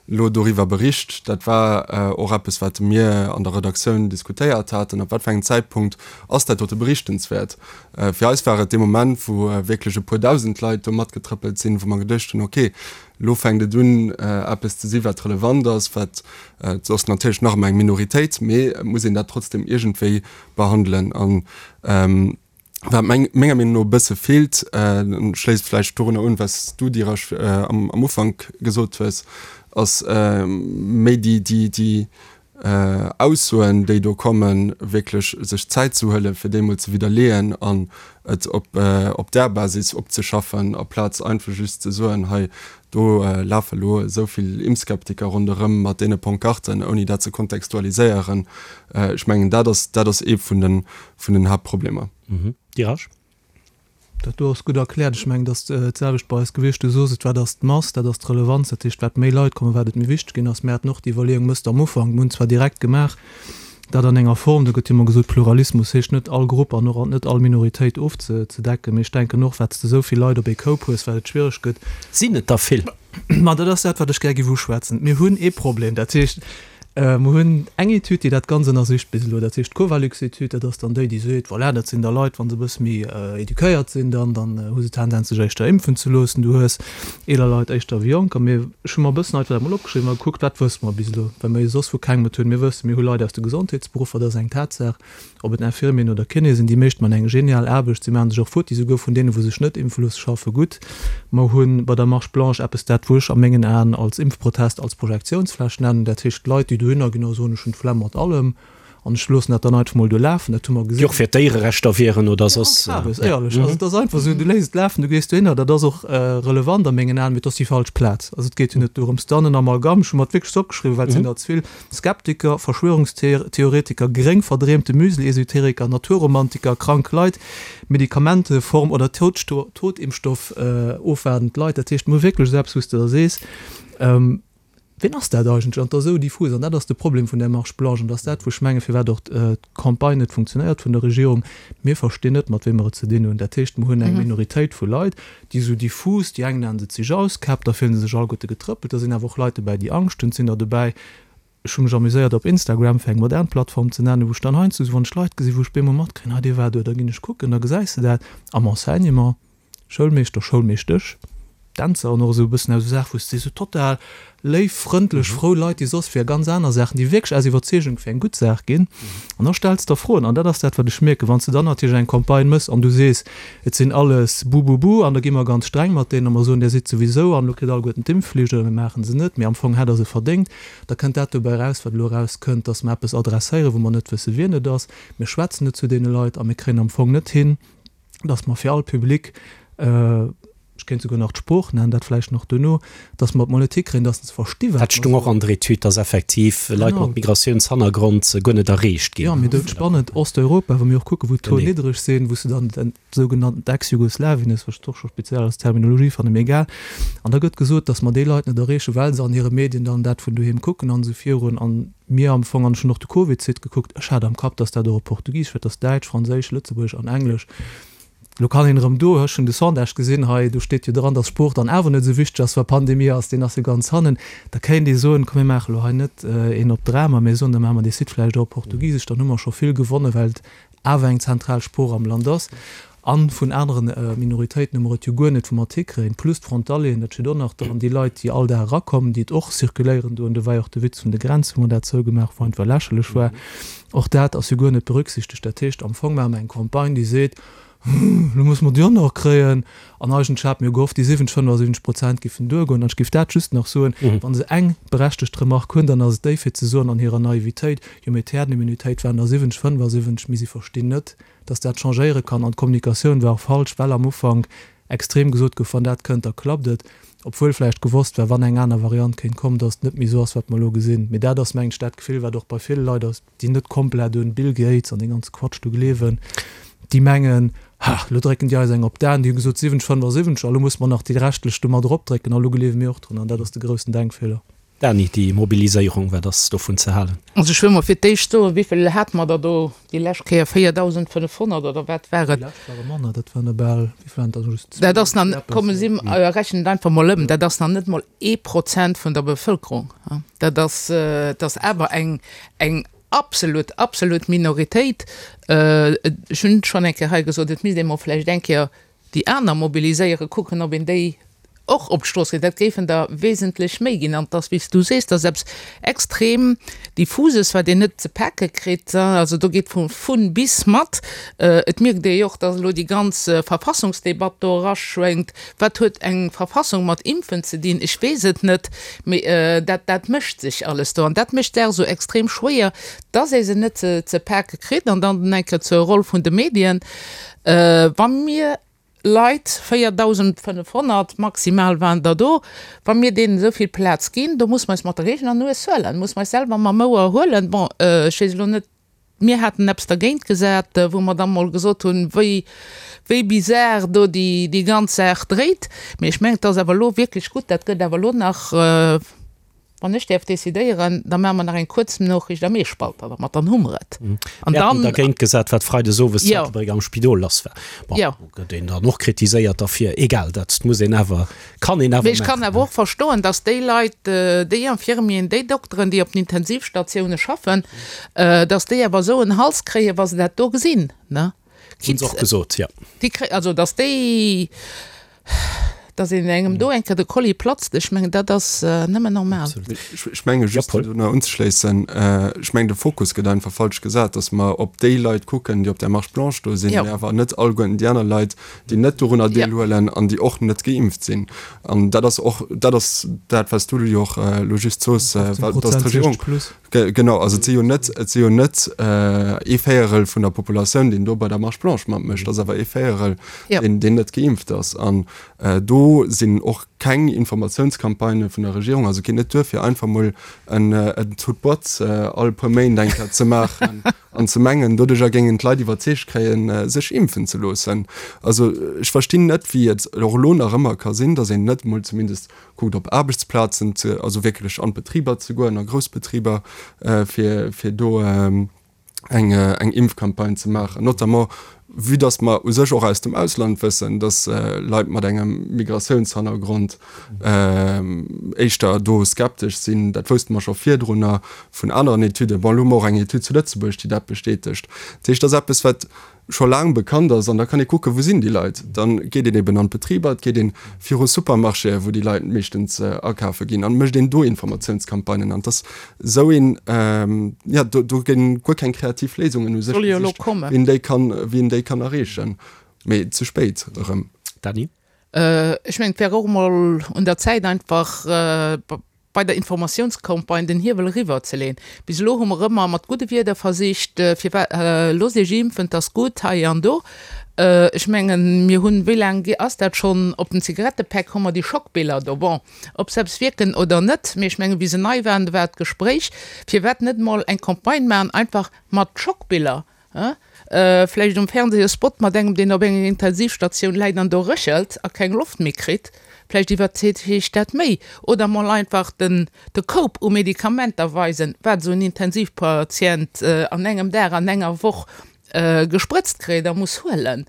elo doriwwer bericht. Dat war och eppes, wat mir an der Redaktioun diskutéiert haten, Ab wat fir engem Zäitpunkt ass dat dote berichtenswäert? Fir eis war et dee Moment, wou wierklech e puer dausend Leit do matgetrëppelt sinn, wou mer geduecht hunn, okay, elo fänkt et un, eppes ze si wat relevant ass, wat, et ass natierlech nach ëmmer eng Minoritéit, mee et muss een dat trotzdem iergendwéi behandelen. An wat menger Meenung no e bësse feelt, schléisst vläicht dorunner un, wat s du, Dheeraj, am Ufank gesot hues, ass méi déi Aussoen, déi do kommen, wierklech sech Zäit ze huelen, fir déi emol ze widderleeën an et op där Basis opzeschaffen, aplaz einfach just ze soen, hei do lafe elo esou vill Impfskeptiker ronderëm mat deene Pancarten, ouni dat ze kontextualiséieren. Ech mengen, dat ass, dat ass ee vun den, vun den Haaptproblemer. Dheeraj? Dat do ass gutt erkläert. Ech mengen, et ass d'selwecht bei eis gewiescht. Du sos et, wat ass d'Mass, dat ass d'Relevanz. Dat heescht, wat méi Leit kommen, wat et méi wichteg ginn ass. Mir haten och déi Iwwerleeung mësst am Ufank, mir hunn zwar direkt gemaach, dat an enger Form, do gëtt jo ëmmer gesot, Pluralismus heescht net all Grupp an och net all Minoritéit ofzedecken, mee ech denken och, wat s de esou vill Leit op ee Koup hues, wat et schwiereg gëtt. Sinn et der vill? Ma dat ass dat, wat ech gär géif uschwätzen. Mir hunn ee Problem, dat heescht, mer hunn eng Etüd, déi dat Ganz ënnersicht bis elo, dat heescht d'Covalux-Etüd, dat ass dann déi, déi seet, voilà, dat sinn da Leit, wa se e bësse méi eduquéiert sinn, dann, dann hu se Tendenz, sech éischter impfen ze loossen. Du hues eeler Leit éischter wéi jonker. Mee ech hu mer e bëssen einfach dat emol opgeschriwwen a gekuckt, wat wësse mer bis elo, well mer jo soss vu kengem et hunn. Mir wëssen, mir hu Leit aus de Gesondheetsberuffer, dat ass eng Tatsaach, ob et Infirmieren oder Kinéë sinn, déi meescht man eng genial Aarbecht, si maache sech och futti, souguer vun deenen, wou sech net impfe loosse, schaffe gutt. Mer hu bei der Marche blanche eppes, dat wou ech a mengen Aen als Impfprotest, als Projektiounsfläch nennen, dat heescht Leit, déi dohinner ginn a soen, ech hunn d'Flemm mat allem. an ech loossen dat dann einfach mol do lafen, dat hu mer gesinn. Déi och fir d'Déiererechter wieren oder soss. Ja, éierlech, also et ass einfach esou, du léiss et lafen, du gees dohinner, dat ass och relevant a mengen Aen, mee et ass déi falsch Plaz. Also et geet jo net dorëms. Dann en Amalgam, ech hu mer et wierklech opgeschriwwen, well et sinn der ze vill, Skeptiker, Verschwörungstheoretiker, gréng verdreemte Müsli-Esoteriker, Naturromantiker, krank Leit, Medikamente, Form oder Totimpfstoff ofwaardend Leit. Dat heescht, mir hu wierklech esou eppes, wou s de da sees, Wien ass dat eigentlech? An et ass esou diffus. An dat ass de Problem vun där Marche blanche. An dat ass dat, wou ech mengen, firwat och d'Campagne net funktionéiert vun der Regierung. Mir verstinn net, mat wem mer et ze dinn hunn. Dat heescht, mer hunn eng Minoritéit vu Leit, déi esou diffus, déi eng nennen se zich Auskäpp, da fillen se sech alleguerte getrëppelt. Da sinn awer och Leit dobäi, déi Angscht hunn. Et sinn der dobäi, ech hu mech amuséiert op Instagram, fir eng modern Plattform ze nennen, wou ech dann heiansdo esou, wann ech Leit gesinn, wou ech bemol matkréien, ah, dee war do, da ginn ech kucken, da gesäis de dat am Enseignement, Schoulmeeschter, Schoulmeeschtesch. Dänzer an och esou e bëssen aus esou Saachen, wou s de sees, esou total léif, frëndlech, frou Leit, déi soss fir ganz aner Saachen, déi wierklech aus Iwwerzeegung fir eng gutt Saach ginn. An da stells de der Froen. An dat ass dat, wat ech mierken, wann s de dann natierlech eng Campagne méchs an du sees, et sinn alles Bububu an da gi mer ganz streng mat deenen a mer soen, där sidd souwisou an elo kritt alleguerten d'Impfflicht oder mir maache se net, mee am Fong hätt Der se verdéngt, da kënnt dat dobäi eraus, wat elo erauskënnt, dass mer eppes adresséieren, wou mer net wësse wien et ass. Mir schwätzen net zu deene Leit a mir kréien am Fong net hin, dass mer fir all Public, ech kéint souguer nach d'Sprooch nennen, dat vläicht nach duerno, dass mer et mol net hikréien, dass se versti wat Dat mer stung och soen. an der Etüd, dass effektiv Leit mat Genau. Migratiounshannergrond guer net erreecht Jo, ginn. mee dat spannend Osteuropa, wa mir och kucken, wou d'Taux Genee. niddreg sinn, wou s de dann den sougenannten Ex-Jugoslawien hues, wat ech och scho speziell als Terminologie fannen, mee egal. An da gëtt gesot, dass mer déi Leit net erreechen, well se an hire Medien dann dat vun doheem kucken an esou virun. An mir am Fong, an ech hunn och de Covid-Site gekuckt, ech hat am Kapp, dass dat och op Portugisesch wär, et ass Däitsch, Franséisch, Lëtzebuergesch an Englesch. Lo kann een erëm do, ech hunn de Sondage gesinn hei, do steet jo dran, datt Sport dann awer net esou wichteg ass, wa Pandemie ass, deen ass jo ganz hannen. Da kéint ee soen, komm mir maache lo hei net een op Drama, mä soen, da maache mer dee Site vläicht och op Portugisesch, dann hu mer scho vill gewonnen, well et awer eng zentral Sprooch am Land ass. A vun anere Minoritéiten hu mer et jo guer net, wou mer et hikréien, plus d'Frontalieren, dat steet och nach dran, déi Leit, déi all Dag erakommen, déi et och circuléieren doen. Do war jo och de Witz vun de Grenzen, wou mer dat zougemaach, wou einfach lächerlech war. Och dat ass jo guer net berücksichtegt. Dat heescht, am Fong maache mer eng Campagne, déi seet, Lo musse mer déi och nach kréien. An eigentlech hate mir jo gehofft, déi siwwenzeg, fënnefasiwwenzeg Prozent giffen duergoen. An ech giff dat just nach soen, Wa se eng berechtegt Remark hunn, dann ass et déi fir ze soen an hirer Naivitéit, jo mee d'Herdenimmunitéit waren der siwwenzeg, fënnefasiwwenzeg, mee si verstinn net, datt dat changéiere kann. An d'Kommunikatioun war och falsch, well am Ufank extrem gesot gouf, wann dat kënnt, da klappt et, obwuel vläicht gewosst war, wann eng aner Variant kéint kommen, datt et net méi esou ass, wat mer elo gesinn. Mee dat ass, mengen ech, dat Gefill, wat och bei ville Leit ass, déi net komplett un Bill Gates an dee ganze Quatsch do gleewen, déi mengen, Ha, elo drécken déi eis eng op d'Aen, déi hu gesot siwwenzeg, fënnefasiwwenzeg, a lo musse mer nach déi reschtlech do mat eropdrécken, a lo gleewe mir och drun. An dat ass de groussen Denkfeeler. Dany, déi Mobiliséierung, wat ass dovun ze halen? Also ech wëll mol fir d'éischt soen, wéivill hate mer der do déi lescht Kéier, véierdausendfënnefhonnert oder wat war et? Déi lescht ware manner, dat waren der bal, wéi waren et dann, just Dat ass nach, eppes, komme si, jo. rechnen et einfach mol ëm, dat ass nach net mol ee Prozent vun der Bevëlkerung. Dat ass, dat ass awer eng, eng absolut, absolut Minoritéit. Ech hunn schonn eng Kéier hei gesot, et misst ee mol vläicht eng Kéier déi aner mobiliséieren, kucken, ob een déi och op d'Strooss kritt. Dat géifen der wesentlech méi ginn. An et ass, wéi s du sees, dat ass eppes extrem Diffuses, wat een net ze pake kritt. Also do geet vu vun bis mat. Et mierkt ee jo och, datt elo déi ganz Verfassungsdebatt do eraschwéngt. Wat huet eng Verfassung mat Impfen ze dinn? Ech weess et net. Mee dat, dat mëscht sech alles do. An dat mécht d'Saach esou extrem schwéier, datt ee se net ze pake kritt. An dann eng Kéier zur Roll vun de Medien. Wa mir Leit, véierdausendfënnefhonnert maximal waren der do, wa mir deenen esou vill Plaz ginn, do muss mer eis mat der eegener Nues huelen, muss mer eis selwer mam Ouer huelen. Bon, ech weess elo net, mir haten eppes dergéint gesat, wou mer da mol gesot hunn, wéi, wéi bizar do déi, déi ganz Saach dréit. Mee ech mengen, et ass awer elo wierklech gutt, dat gëtt awer elo nach, Wann ech däerf decidéieren, da maache mer nach eng Kuerznoriicht am Eespalter dermat, dann hu mer et. An Mir haten dergéint gesat, wat freides owes zu Ettelbréck am Spidol lass war. Bon, do gëtt een dann och kritiséiert derfir. Egal, dat muss een awer, kann een awer Mee ech kann maachen. awer och verstoen, datt déi Leit, déi Infirmieren, déi Dokteren, déi op den Intensivstatioune schaffen, datt déi awer esou en Hals kréien, wa se dat do gesinn, ne? Hunn se och gesot, jo. Déi kréien, also datt déi, Dass een engem do eng Kéier de Kolli platzt, ech mengen, dat ass nëmmen normal. Ech menge just, fir do nach unzeschléissen, ech mengen, de Fokus gëtt einfach falsch gesat, dass mer op déi Leit kucken, déi op där Marche blanche do sinn, mä awer net alleguerten déi aner Leit, déi net dorunner deelhuelen an déi och net geimpft sinn. An dat ass och, dat ass dat, wat s du jo och elo just soos, dass d'Regierung, genau, also et si jo net, et si jo net ee Véierel vun der Populatioun, deen do bei der Marche blanche matmécht, et ass awer ee Véierel, deen net geimpft ass. An do sinn och keng Informatiounscampagnë vun der Regierung, also et geet net duer fir einfach mol en Tout boîte all puer Méint eng Kéier ze maachen an ze mengen, doduercher géingen d'Leit iwwerzeegt kréien, sech impfen ze loossen. Also ech verstinn net, wéi et och elo nach ëmmer ka sinn, datt een net mol zumindest kuckt op Aarbechtsplazen ze, also wierklech an d'Betriber ze goen, a grouss Betriber, fir fir do eng eng Impfcampagne ze maachen, notamment vue dass mer u sech och aus dem Ausland wëssen, dass Leit mat engem Migratiounshannergrond éischter do skeptesch sinn. Dat wousste mer scho virdrunner vun aneren Etüden. Bon, elo hu mer och eng Etüd zu Lëtzebuerg, déi dat bestätegt. Dat heescht, dat ass eppes, wat scho laang bekannt ass. An da kann ee kucken, wou sinn déi Leit. Da geet een eben an d'Betriber, et geet ee viru Supermarchéen, wou déi Leit meeschtens akafe ginn, an mécht een do Informatiounscampagnen. An et ass esou een, jo, do do ginn guer keng kreativ Léisungen u sech gesicht, wéi een déi kann, wéi een déi kann erreechen. Mee ze spéit erëm. Dany? Ech mengen, et wär och emol un der Zäit einfach bei der Informatiounscampagne den Hiewel eriwwer ze leeën. Bis elo hu mer ëmmer mat gudde Wierder versicht, firwat, loosst Iech impfen, 't ass gutt hei an do. Ech mengen, mir hunn, wéi laang ass dat schonn, op den Zigarettepäck hu mer déi Schockbiller do. Bon, ob se eppes wierken oder net, mee ech mengen, wéi se nei waren, do war d'Gespréich, firwat net emol eng Campagne maachen, einfach mat Schockbiller, Vläicht um Fernseh e Spot mat engem, deen op enger Intensivstatioun läit an do réchelt a keng Loft méi kritt. Vläicht iwwerzeegt dat méi. Oder mol einfach den de Koup u Medikamenter weisen, wat esou en Intensivpatient an engem Dag, an enger Woch gesprëtzt kritt a muss huelen.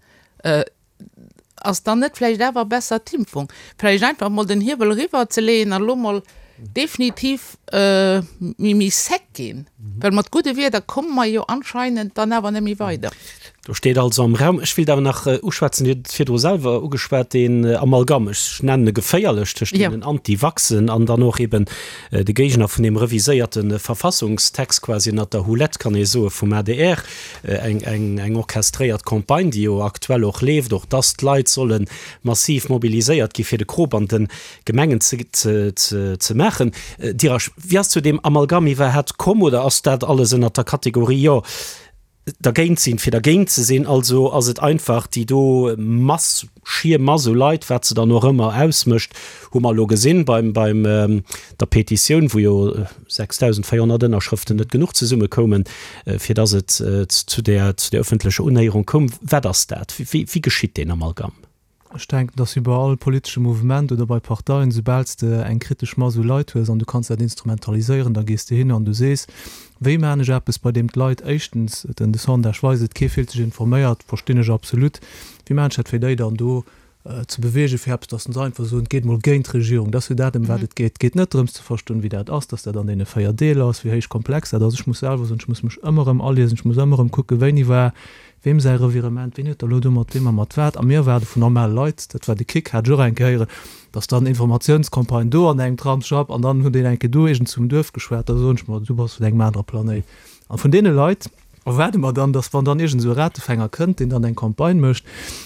Ass dann net vläicht awer besser d'Impfung? Vläicht einfach mol den Hiewel eriwwer ze leeën an elo mol definitiv méi méi sec ginn, well mat gudde Wierder komme mer jo anscheinend dann awer net méi weider. Do steet also am Raum. Ech wéilt awer nach uschwätzen, Dir hutt et virdru selwer ugeschwat, deen Amalgam, ech nennen e geféierlech, tëscht deenen Antivaxen an dann och eben de Géigner vun deem reviséierte Verfassungstext, quasi ënnert der Houlette, kann ee soen, vum A D R, eng, eng, eng orchestréiert Campagne, déi jo aktuell och leeft, och dass d'Leit solle massiv mobiliséiert gi fir de Krop an de Gemengen ze, ze, ze, ze maachen. Dirasch, wéi ass zu deem Amalgam iwwerhaapt komm oder ass dat alles ënnert der Kategorie, jo, dergéint sinn, fir dergéint ze sinn, also ass et einfach déi do Mass, schier Mass u Leit, wat se dann och ëmmer ausmécht, hu mer elo gesinn beim, beim der Petitioun, wou jo sechstausendvéierhonnert Ënnerschrëften net genuch zesummekoumen, fir datt et zu där, zu där ëffentlecher Unhéierung koum. Wat ass dat? Wéi, wéi geschitt deen Amalgam? Ech denken, dass wéi bei all politesche Mouvement oder bei Parteien, soubal s de eng kritesch Mass u Leit hues an du kanns dat instrumentaliséieren, da gees de hin an du sees, Wéi maachen ech eppes, bei deem d'Leit éischtens, den de Sondage weist et, kee fillt sech informéiert, verstinn ech absolut, wéi maachen ech dat fir déi dann do ze beweegen, fir eppes, dass se einfach soen, et geet mol géint d'Regierung. Dat ass jo dat, ëm wat et geet. Et geet net drëms ze verstoen, wéi dat ass, dass dat an deene véier Deeler ass, wéi héich komplex dat ass. Ech muss selwer soen, ech muss mech ëmmer erëm aliesen, ech muss ëmmer erëm kucken, wéini war Weem säi Revirement, ween huet da lo do mat weem a mat wat? A mir erwaarde vun normale Leit, dat war de Kick, hat ech och eng Kéier héieren, dass dann Informatiounscampagnen do an engem Tramsschapp an dann huet een eng Kéier do iergend zum Duerf geschwat, da soen ech mer, du bass vun engem anere Planéit. A vun deene Leit erwaarde mer dann, dass wann dann iergend esou e Ratefänger kënnt, deen dann eng Campagne mécht,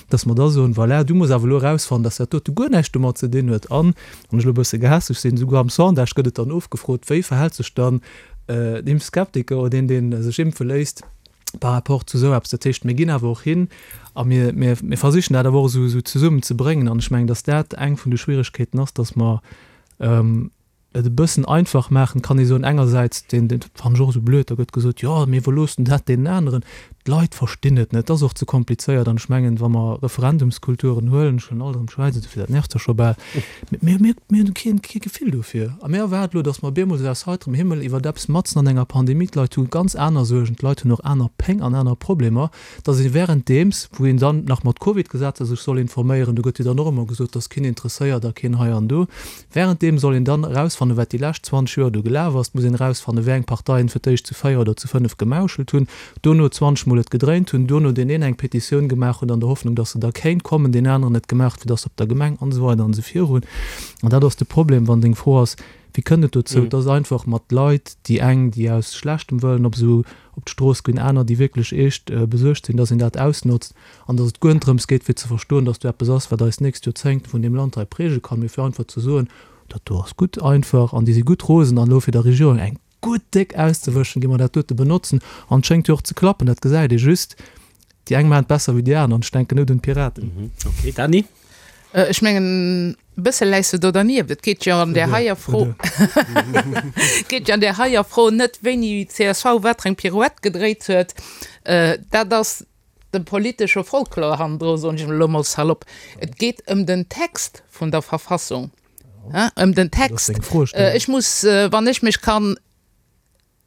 dass mer da soen, voilà, du muss awer elo erausfannen, dass dat dote guer näischt domat ze dinn huet. An, wann ech elo e bësse gehässeg sinn, souguer am Sondage gëtt et dann ofgefrot, wéi verhält sech dann d'Impfskeptiker oder deen, dee sech impfe léisst, par rapport zu esou eppes. Dat heescht, mir ginn awer och hin a mir, mir, mir versichen dat awer och esou, esou zesummen ze bréngen. An ech mengen, dass dat eng vun de Schwierigkeeten ass, dass mer et e bëssen einfach maachen, kann ee soen, engersäits, deen, deen fannen ech och esou blöd, da gëtt gesot, jo, mir iwwerloossen dat deenen aneren. D'Leit verstinn et net, et ass och ze komplizéiert. An ech mengen, wa mer Referendumskulturen huelen, ech huelen alt erëm d'Schwäiz, dofir dat nervt jo scho bal, mir, mir, mir hunn keen, kee Gefill dofir. A mir erwaarde elo, datt mer bemol esou aus heiterem Himmel iwwert eppes matzen an enger Pandemie, d'Leit hu ganz aner Suergen, d'Leit hunn och aner Péng an aner Problemer, datt ee währenddeems, wou een dann nach mat Covid-Gesetzer sech soll informéieren, do gëtt jo dann och ëmmer gesot, datt keen interesséiert a keen hei an do, währenddeem soll een dann erausfannen, wat déi lescht zwanzeg Joer do gelaf ass, et muss een erausfannen, wéi eng Parteien fir d'éischt zu véier oder zu fënnef gemauschelt hunn, dono zwanzeg emol et gedréint hunn, duerno deen een eng Petitioun gemaach huet an der Hoffnung, dass se da kéint kommen, deen aneren et gemaach huet, fir dass se op der Gemeng an esou weider an esou virun. An dat ass de Problem, wann deng Fro ass, Wéi kënnt et dozou, dass einfach mat Leit, déi eng, déi aus schlechtem Wëllen op esou op d'Strooss ginn, aner, déi wierklech eescht besuergt sinn, dass een dat ausnotzt an dass et guer net drëms geet, fir ze verstoen, dass do eppes ass, wat eis nächst Joerzéngte vun deem Land hei präge kann, mee fir einfach ze soen, Dat do ass gutt einfach an déi si gutt rosen an elo fir der Regierung eng gutt déck auszewëschen, gi mer dat dote benotzen an et schéngt jo och ze klappen. Dat gesäit ee just, déi eng maachen et besser wéi déi aner an ech denken net un d'Piraten. Ok, Dany? Ech mengen, e bësse läis de do dernieft. Et geet jo an där heier Fro, et geet jo an där heier Fro net, wéini csv wat fir eng Pirouette gedréit huet. Dat ass de politesche Folklor hannendru, soen ech elo mol salopp. Et geet ëm den Text vun der Verfassung. Ëm den Text. Ech muss, wann ech mech kann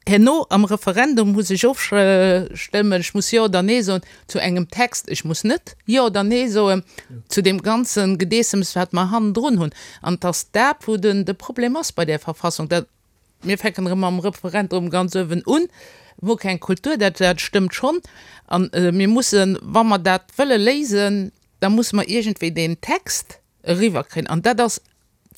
herno am Referendum muss ech ofstëmmen, ech muss Jo oder Nee soen zu engem Text, ech muss net Jo oder Nee soen zu deem ganze Gedeessems, wat mer hannendrun hunn. An et ass dat, wou den de Problem ass bei där Verfassung. Dat, mir fänken erëm mam Referendum ganz uewen un, wou keng Kultur, dat dat stëmmt schonn. An mir mussen, wa mer dat wëlle léisen, da musse mer iergendwéi deen Text eriwwerkréien. An dat ass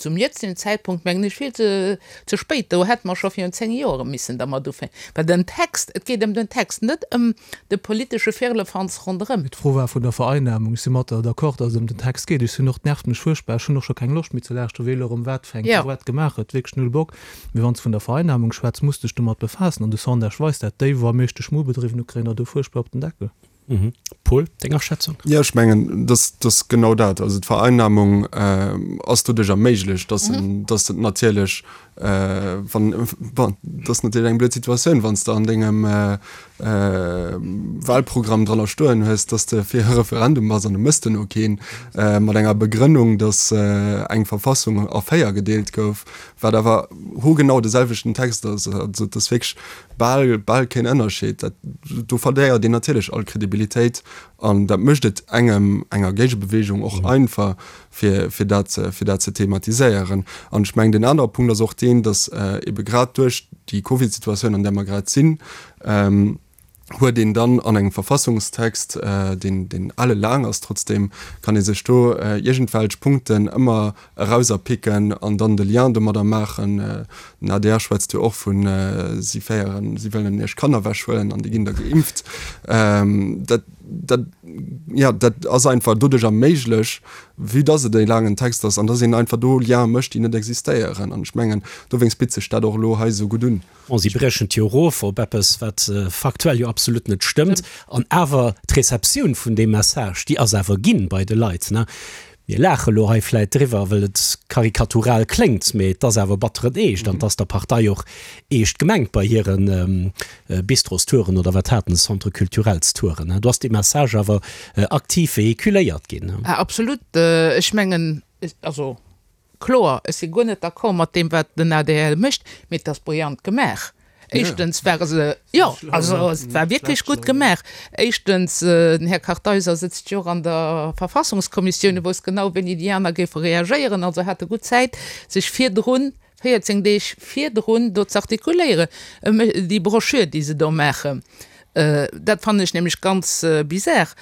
zum jetzigen Zäitpunkt, mengen ech, vill ze ze spéit. Do hätte mer scho virun zéng Joere missen dermat ufänken. Well den Text, et geet ëm den Text, net ëm de politesche Firlefanz ronderëm. Mee d'Fro war vun der Vereinnahmung. Ech si mat der d'accord, datt et ëm den Text geet. Ech sinn och, et nervt mech fuerchtbar, ech hunn och scho keng Loscht méi ze lauschteren, wee elo erëm wat fir eng Pirouette gemaach huet. Wierklech null Bock. Mee wann s de vun der Vereinnahmung schwätz, muss dech domat befaassen. An de Sondage weist dat, déi wou am meeschte Schmu bedriwwen hu kréien der do fuerchtbar op den Deckel. Paul, deng Aschätzung? Jo, ech mengen, dass dass genau dat, also d'Vereinnahmung ass doduerch erméiglecht, dass en, dass et natierlech, wann, bon, dat ass natierlech eng blöd Situatioun, wann s de an dengem Wahlprogramm dranner stoen hues, dass de fir e Referendum bass an e méchs duerno keen, mat enger Begrënnung, dass eng Verfassung a véier gedeelt gouf, wat awer hogenau de selwechten Text ass. Also et ass wierklech bal, bal keen Ënnerscheed. Dat, do verléiert een natierlech all Kredibilitéit an dat mécht et engem, enger Géigebewegung och einfach, fir, fir dat, fir dat ze thematiséieren. An ech mengen, deen anere Punkt ass och deen, datt ebe grad duerch déi Covid-Situatioun, an där mer grad sinn, huet een dann an engem Verfassungstext, deen, deen ellelaang ass, trotzdem kann ee sech do iergendwelch Punkten ëmmer erauserpicken an dann de Lien domadder maachen. Den adr schwätzt jo och vun, si féieren, si wëllen iech Kanner ewechhuelen an déi ginn da geimpft. Dat, dat, jo, dat ass einfach doduerch erméiglech, vue dass et e laangen Text ass an dass een einfach do Liene mécht, déi net existéieren. An ech mengen, dowéinst bitt sech dat och elo hei esou gutt un. Bon, si briechen et jo erof op eppes, wat faktuell jo absolut net stëmmt. An awer, d'Receptioun vun deem Message, déi ass awer ginn bei de Leit. Mir laache elo hei vläit driwwer, well et karikatural kléngt, mee et ass awer batteren Eescht an et ass der Partei och eescht gemengt bei hire Bistrostouren oder wat haten se, Centre culturelstouren. Do ass dee Message awer aktiv vehiculéiert ginn. Absolut. Ech mengen, also Kloer, ech si guer net d'accord mat deem, wat den adr mécht, mee et ass brillant gemaach. Éischtens ware se, jo, also et war wierklech gutt gemaach. Éischtens, den Här Kartheiser sëtzt jo och an der Verfassungskommissioun, e wousst genau, wéini déi aner géife reagéieren, also hat e gutt Zäit, sech virdrun, véierzéng Deeg virdrun do z'artikuléieren. Déi Broschür, déi se do maachen, dat fannen ech nämlech ganz bizar.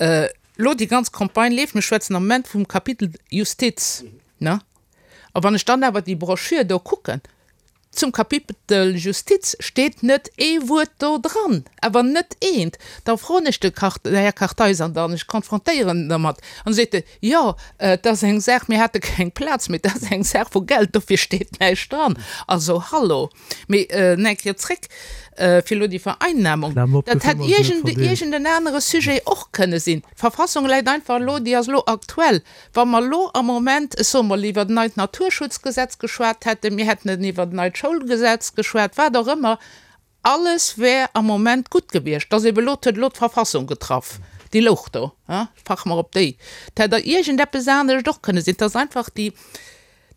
Elo déi ganz Campagne leeft, mir schwätzen am Moment vum Kapitel Justiz. Ne? A wann ech dann awer déi Broschür do kucken, zum Kapitel Justiz steet net ee Wuert do dran, awer net eent. Da froen ech de Här Kartheiser dann, ech konfrontéieren en dermat, an da seet e, jo, et ass eng Saach, mir hate keng Plaz, mee et ass eng Saach vu Geld, dofir steet näischt dran. Also, hallo! Mee nach eng Kéier zréck, fir elo déi Vereinnahmung, dat hätt iergend en anere Sujet och kënne sinn. D'Verfassung läit einfach elo, déi ass elo aktuell. Wa mer elo am Moment, ech soe mol, iwwer en neit Naturschutzgesetz geschwat hätten, mir hätten iwwer en neit Schoulgesetz geschwat, wat och ëmmer, alles wär am Moment gutt gewiescht. Dass ebe elo, et huet elo d'Verfassung getraff, déi louch do, fach mer op déi. Et hätt der iergendeppes anescht och kënne sinn. Et ass einfach déi,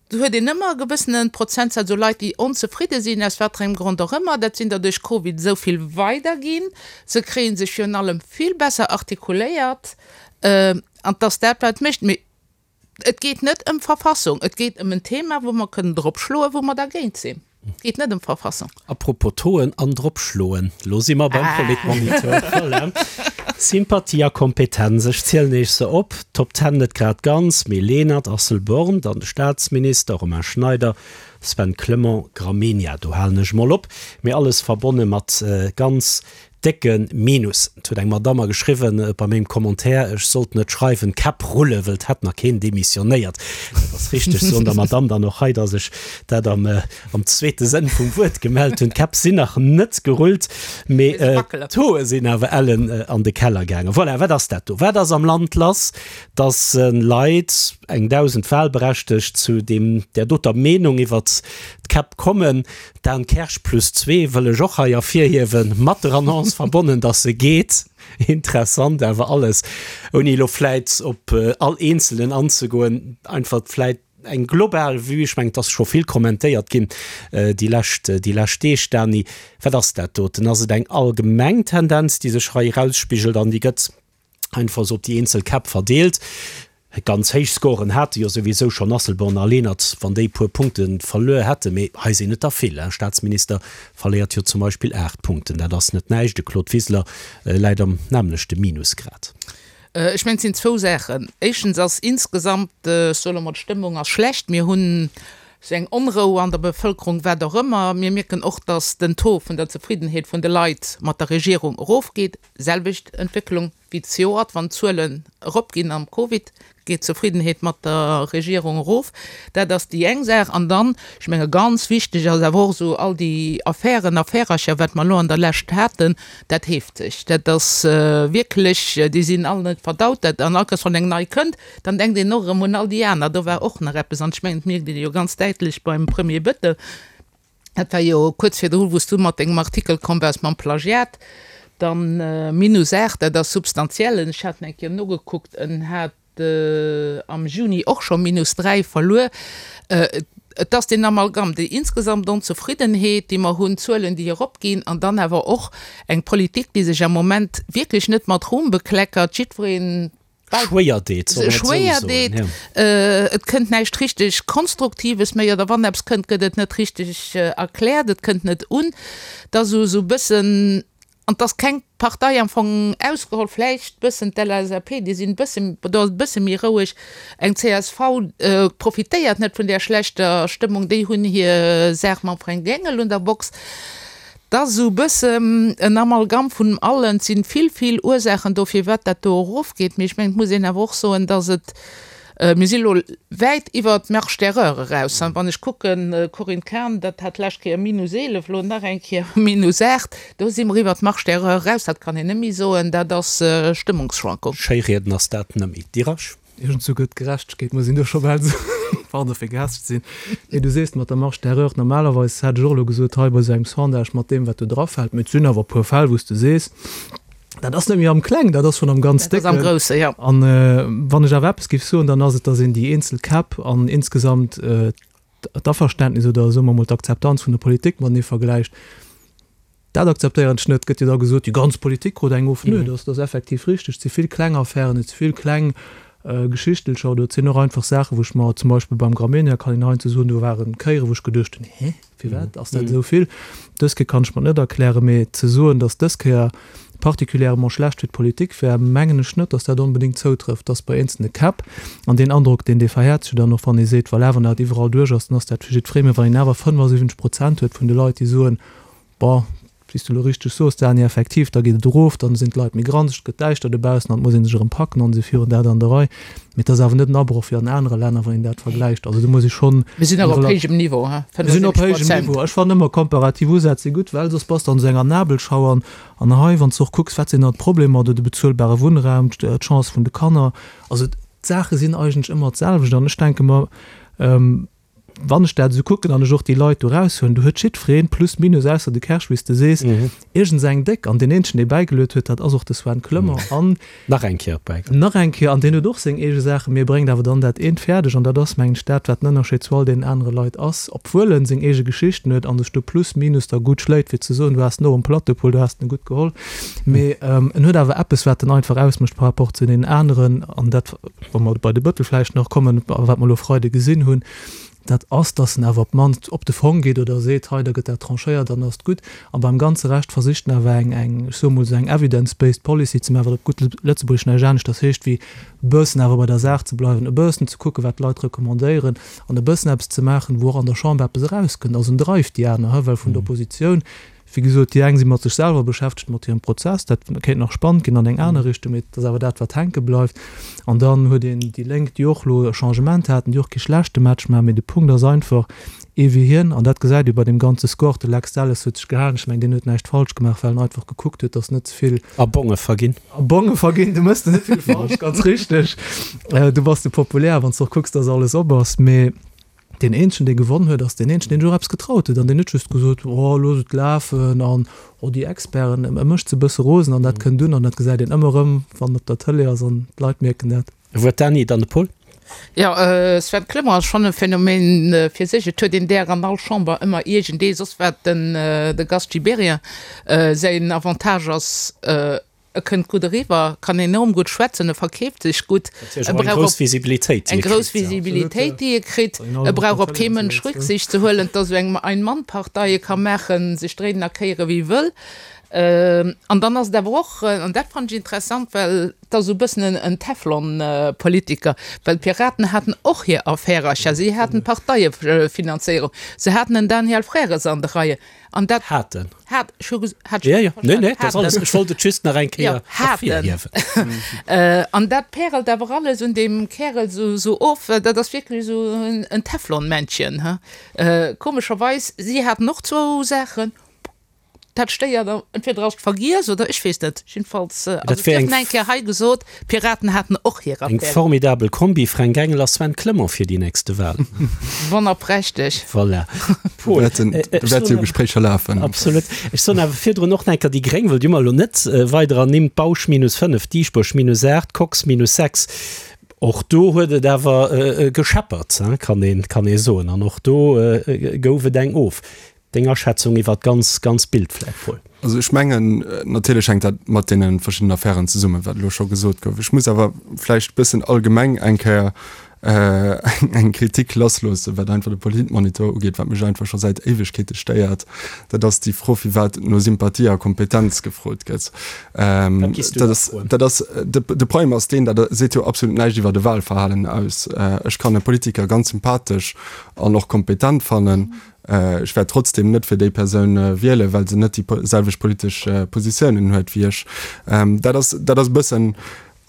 Do huet een ëmmer e gewëssene Prozentsaz u Leit, déi onzefridde sinn, aus wat fir engem Grond och ëmmer. Dat sinn der duerch Covid esou vill weider ginn. Se kréie sech virun allem vill besser artikuléiert. An 't ass dat, wat et mécht. Mee et geet net ëm Verfassung, et geet ëm en Thema, wou mer kënnen drop schloen, wou mer dergéint sinn. Et geet net ëm d'Verfassung. Apropos Tauxen an drop schloen, lo si mer beim Politmoniteur. Voilà. Sympathie a Kompetenz, ech zielen iech se op, Top Ten net grad ganz, mee Lenert, Asselborn, dann de Staatsminister Romain Schneider, Sven Clement, Gramegna, do halen ech mol op, mee alles verbonne mat ganz décke Minus. Et huet eng Madame mer geschriwwen bei mengem Commentaire, ech sollt net schreiwen Käpp rulle, wëll et hätt nach keen demissionéiert. Dat ass richteg, soen der Madame dann och hei, datt ech dat am am zweete Sënn vum Wuert gemellt hunn. D'Käpp sinn nach net gerullt, mee d'Hoer sinn awer ellen an de Keller gaangen. Voilà, wat ass dat do? Wat ass am Land lass, datt Leit, eng Dausend Wahlberechtegt, zu deem där doter Meenung iwwert d'Käpp kommen? Dan Kersch plus zwee wëll ech och hei ervirhiewen, mat der Annonce verbonnen, dass se geet. Interessant awer alles, ouni elo vläit op all Eenzelen anzegoen, einfach vläit eng global Vue. Ech mengen, et ass scho vill kommentéiert ginn déi lescht, déi lescht Deeg. Dany, wat ass dat doten? Ass et eng allgemeng Tendenz, déi sech hei erausspigelt an déi gëtt einfach esou op déi eenzel Käpp verdeelt? Ganz héich Scoren hate jo souwisou schonn Asselborn a Lenert, wann déi puer Punkte verluer hätten. Mee hei sinn et der vill. E Staatsminister verléiert jo zum Beispill aacht Punkten. Dat ass net näischt. De Claude Wiseler läit am nämmlechte Minusgrad. Ech mengen, et sinn zwou Saachen. Éischtens ass insgesamt, ech soe lo mol, d'Stëmmung ass schlecht. Mir hunn esou eng Onrou an der Bevëlkerung, wat och ëmmer. Mir mierken och, datt den Taux vun der Zefriddenheet vun de Leit mat der Regierung erofgeet. Selwecht Entwécklung wéi zejoert, wann d'Zuelen eropginn am Covid, geet d'Zefriddenheet mat der Regierung erof. Dat ass déi eng Saach. An dann, ech menge ganz wichteg ass awer och esou all déi Affären, Affärercher, wat mer elo an der Lescht haten, dat heeft sech. Dat ass wierklech, déi sinn all net verdaut. Dat, an all Kéiers wann eng nei kënnt, dann denkt een och erëm un all déi aner, do war och nach eppes. An ech mengen, dat mierkt een jo ganz däitlech beim Premier Bettel. Dat war jo kuerz virdru, wou s du mat dengem Artikel komm waars mam Plagiat. Dann minus aacht, dat ass substantiell. Ech hat eng Kéier nogekuckt, en hat am Juni och scho minus dräi verluer. Et ass deen Amalgam, déi insgesamt Onzefriddenheet, déi mer hunn, d'Zuelen, déi eropginn, an dann awer och eng Politik, déi sech am Moment wierklech net mat Ruhm bekleckert. Jiddwereen Schwéier deet, solle mer et esou schwéier soen, deet. ja. Et kënnt näischt richteg Konstruktives méi, oder wann eppes kënnt, gëtt et net richteg erkläert, et kënnt net un. Et ass esou esou e bëssen, an et ass keng Partei am Fong ausgeholl, vläicht bëssen d'LSAP, déi sinn e bësse, do ass et e bësse méi roueg. Eng csv profitéiert net vun där schlechter Stëmmung, déi hunn hir Saach mam Fränk Engel un der Box. 't ass esou e bëssen en Amalgam vun allen. Et si vill, vill Ursaachen do, firwat dat do erofgeet. Mee ech mengen, et muss een awer och soen, datt et, mir si elo wäit iwwer d'Marge d'erreur eraus. Wann ech kucken, Corinne Cahen, dat hat d'lescht Kéier minus eelef, elo nach eng Kéier minus aacht, do si mer iwwer d'Marge d'erreur eraus. Dat kann een net méi soen, dat ass Stëmmungsschwankung. Schéirieden ass dat net méi. Dirasch. Iergendzou gëtt Gerechtegkeet, muss een do scho bal soen, pardon fir gehaascht ze sinn. Nee, du sees mat der Marge d'erreur, normalerweis hätt ech och elo gesot, hei bei esou engem Sondage mat deem wat do drafält, mee et sinn awer e puer Fäll wou s de sees, dat ass net méi am Kleng, dat ass schonn am ganz Dat ass am Décken. Groussen, jo. An wann ech awer eppes géif soen, dann ass et, datt een déi eenzel Käpp an insgesamt d'Averständnis oder soe mer emol d'Akzeptanz vun der Politik matenee vergläicht. Dat akzeptéieren ech net. Et gëtt jo da gesot, déi ganz Politik krut eng of. Nö, dat ass effektiv richteg. Et si vill kleng Affären, et si vill kleng Geschichtelcher oder et sinn och einfach Saachen, wou ech mer zum Beispill beim Gramegna, kann een heiansdo soen, do ware Kéieren, wou ech geduecht hunn, Hä, firwat ass dat esou vill? Dës Kéier kann ech mer et net erklären, mee ze soen, datt dës Kéier particulièrement schlecht fir d'Politik wär, mengen ech net, datt dat onbedéngt zoutrëfft. Datt bei eenzelne Käpp, an deen Androck, deen dee verhäert sech dann och, wann ee seet, voilà, wann dat iwwerall duerch ass, dann ass dat fir jiddweree, mee wann een awer fënnefasiwwenzeg Prozent huet vun de Leit, déi soen, bon, wéi s du elo richteg soos, Dany, effektiv, da geet et erof, dann sinn d'Leit méi granzeg, et gëtt däischter dobaussen an et muss ee sech erëm packen an si virun dat an der Rei. Mee et ass awer net en Abroch wéi an anere Länner, wann een dat vergläicht. Also do muss ee schonn. Mir sinn awer op héijem Niveau, he, Mir sinn op héijem Niveau. Ech fannen ëmmer komparativ Usätz si gutt, well soss bass de an esou enger Nabelschau. An an hei, wann s de och kucks, wat sinn dann d'Problemer, do de bezuelbare Wunnraum, d'Chance vun de Kanner, also d'Saache sinn eigentlech ëmmer d'selwecht. An ech denke mer, Wann ech dat esou kucken an ech och déi Leit do eraushuelen, do huet jiddwereen plus minus, ausser de Kersch, wéi s de sees, iergends eng déck. An deen eenzegen, dee bäigeluet huet, dat ass och de Sven Clement. An Nach eng Kéier bäigeluet. Nach eng Kéier. An deen huet och seng eege Saachen, mee e bréngt awer dann dat eent fäerdeg. An dat ass, mengen ech, dat, wat den Ënnerscheed zu all deenen anere Leit ass, obwuel en seng eege Geschichten huet a sech do plus minus da gutt schléit, fir ze soen, du has en och um Plateau, du has en gutt geholl. Mee en huet awer eppes, wat en einfach ausmécht par rapport zu deenen aneren. An dat, wa mer bei de Bëttel vläicht nach kommen, a wat mer elo Freide gesinn hunn, Dat ass, dass en awer op d'mannst op de Fong geet oder seet, hei, da gëtt dat tranchéiert, dann ass et gutt. A beim ganze Rescht versicht en awer eng, eng, ech soe mol esou eng evidence-based policy ze maachen, wat op gutt Lëtzebuergesch näischt aneschters heescht wéi e bëssen awer bei der Saach ze bleiwen, e bëssen ze kucken, wat d'Leit recommandéieren an e bëssen eppes ze maachen, wou och an der Chamber eppes erauskënnt. Also en dreift déi aner, well vun der Oppositioun, wéi gesot, déi eng si mat sech selwer beschäftegt, mat hirem Prozess, dat kéint nach spannend ginn an eng aner Richtung, mee et ass awer dat, wat hänke bleift. An dann huet een déi Lénk, déi och elo e Changement haten, déi och kee schlechte Match maachen, mee de Punkt ass einfach, ee wéi hien, an dat gesäit ee bei deem ganze Score, de Lex Delles huet sech gehalen, ech mengen, deen huet näischt falsch gemaach, well en einfach gekuckt huet, datt net ze vill. A Bonge verginn. A Bonge verginn, du méchs net vill falsch, ganz richteg. Du bass de populär, wann s de och kucks, datt alles op ass, mee. Deen eenzegen, dee gewonn huet, ass deen eenzegen, deen sech och eppes getraut huet an deen net just gesot huet, oh, looss et lafen an oh, déi Experten. E mécht se e bësse rosen an dat kënnt un an dat gesäit een ëmmer erëm, wann en op der Tëlee ass an d'Leit mierken dat. E Wuert, Dany, dann de Paul. Jo, Sven Clement ass schonn e Phänomen fir sech. Et huet een där an all Chamber ëmmer iergendee, soss wat den de Gast Gibéryen säin Avantage ass, E kënnt gutt eriwwer, kann enorm gutt schwätzen, e verkeeft sech gutt, e brauch op eng grouss Visibilitéit, déi e kritt, e brauch op kee Mënsch Rücksicht ze huelen, et ass esou eng Ein-Mann-Partei, e ka maachen, sech dréinen a kéiere wéi e wëll. An dann ass et awer och, an dat fannen ech interessant, well et ass esou e bëssen en Teflon-Politiker, well d'Piraten haten och hir Affärercher, si haten d'Parteiefinanzéierung, se haten en Daniel Frères an de Reien, an dat Haten. Hat, ech hu ges-, hat Ja, ja, nee, nee, dat ass alles, ech wollt et just nach eng Kéier Ja, haten. ervirhiewen. An dat pärelt awer alles un deem Kärel esou, esou of. Dat ass wierklech esou en, en Teflonmännchen, he. Komescherweis, si haten och zwou Saachen. Dat stéiert, entweder ass et vergiess oder ech weess net. Jiddefalls ass Dat et wär dierf eng nach eng Kéier hei gesot, d'Piraten haten och hir Eng Affären. formidabel Kombi, Fränk Engel a Sven Clement fir déi nächste Wahlen. Wonnerprächteg. Voilà. Do Paul, wäerten, äh, do ech wäerte soen jo awer, Gespréicher lafen. absolut. Ech soen awer virdrun och nach eng Kéier, déi Gréng wëll déi mer elo net weider ernimmt, Bausch minus fënnef, Dieschbourg minus aacht, Kox minus sechs. Och do huet et awer gescheppert, kann een, kann ee soen. An och do gouf et eng of. Deng Aschätzung iwwer d'ganz, ganz Bild vläicht, Paul? Also ech mengen, natierlech hänkt dat mat deene verschiddenen Affären zesummen, wat elo scho gesot gouf. Ech muss awer vläicht e bëssen allgemeng eng Kéier eng Kritik lassloossen, wat einfach de Politmonitor ugeet, wat mech einfach scho säit Éiwegkeete stéiert. Dat ass déi Fro, firwat no Sympathie a Kompetenz gefrot gëtt. Dat giss du Dat da ass, froen. dat ass, de, de Problem ass deen, dat seet jo absolut näischt iwwer de Wahlverhalen aus. Ech kann e Politiker ganz sympathesch an och kompetent fannen, Ech wäert trotzdem net fir déi Persoun wielen, well se net déi selwecht politesch Positiounen huet wéi ech. Dat ass, dat ass e bëssen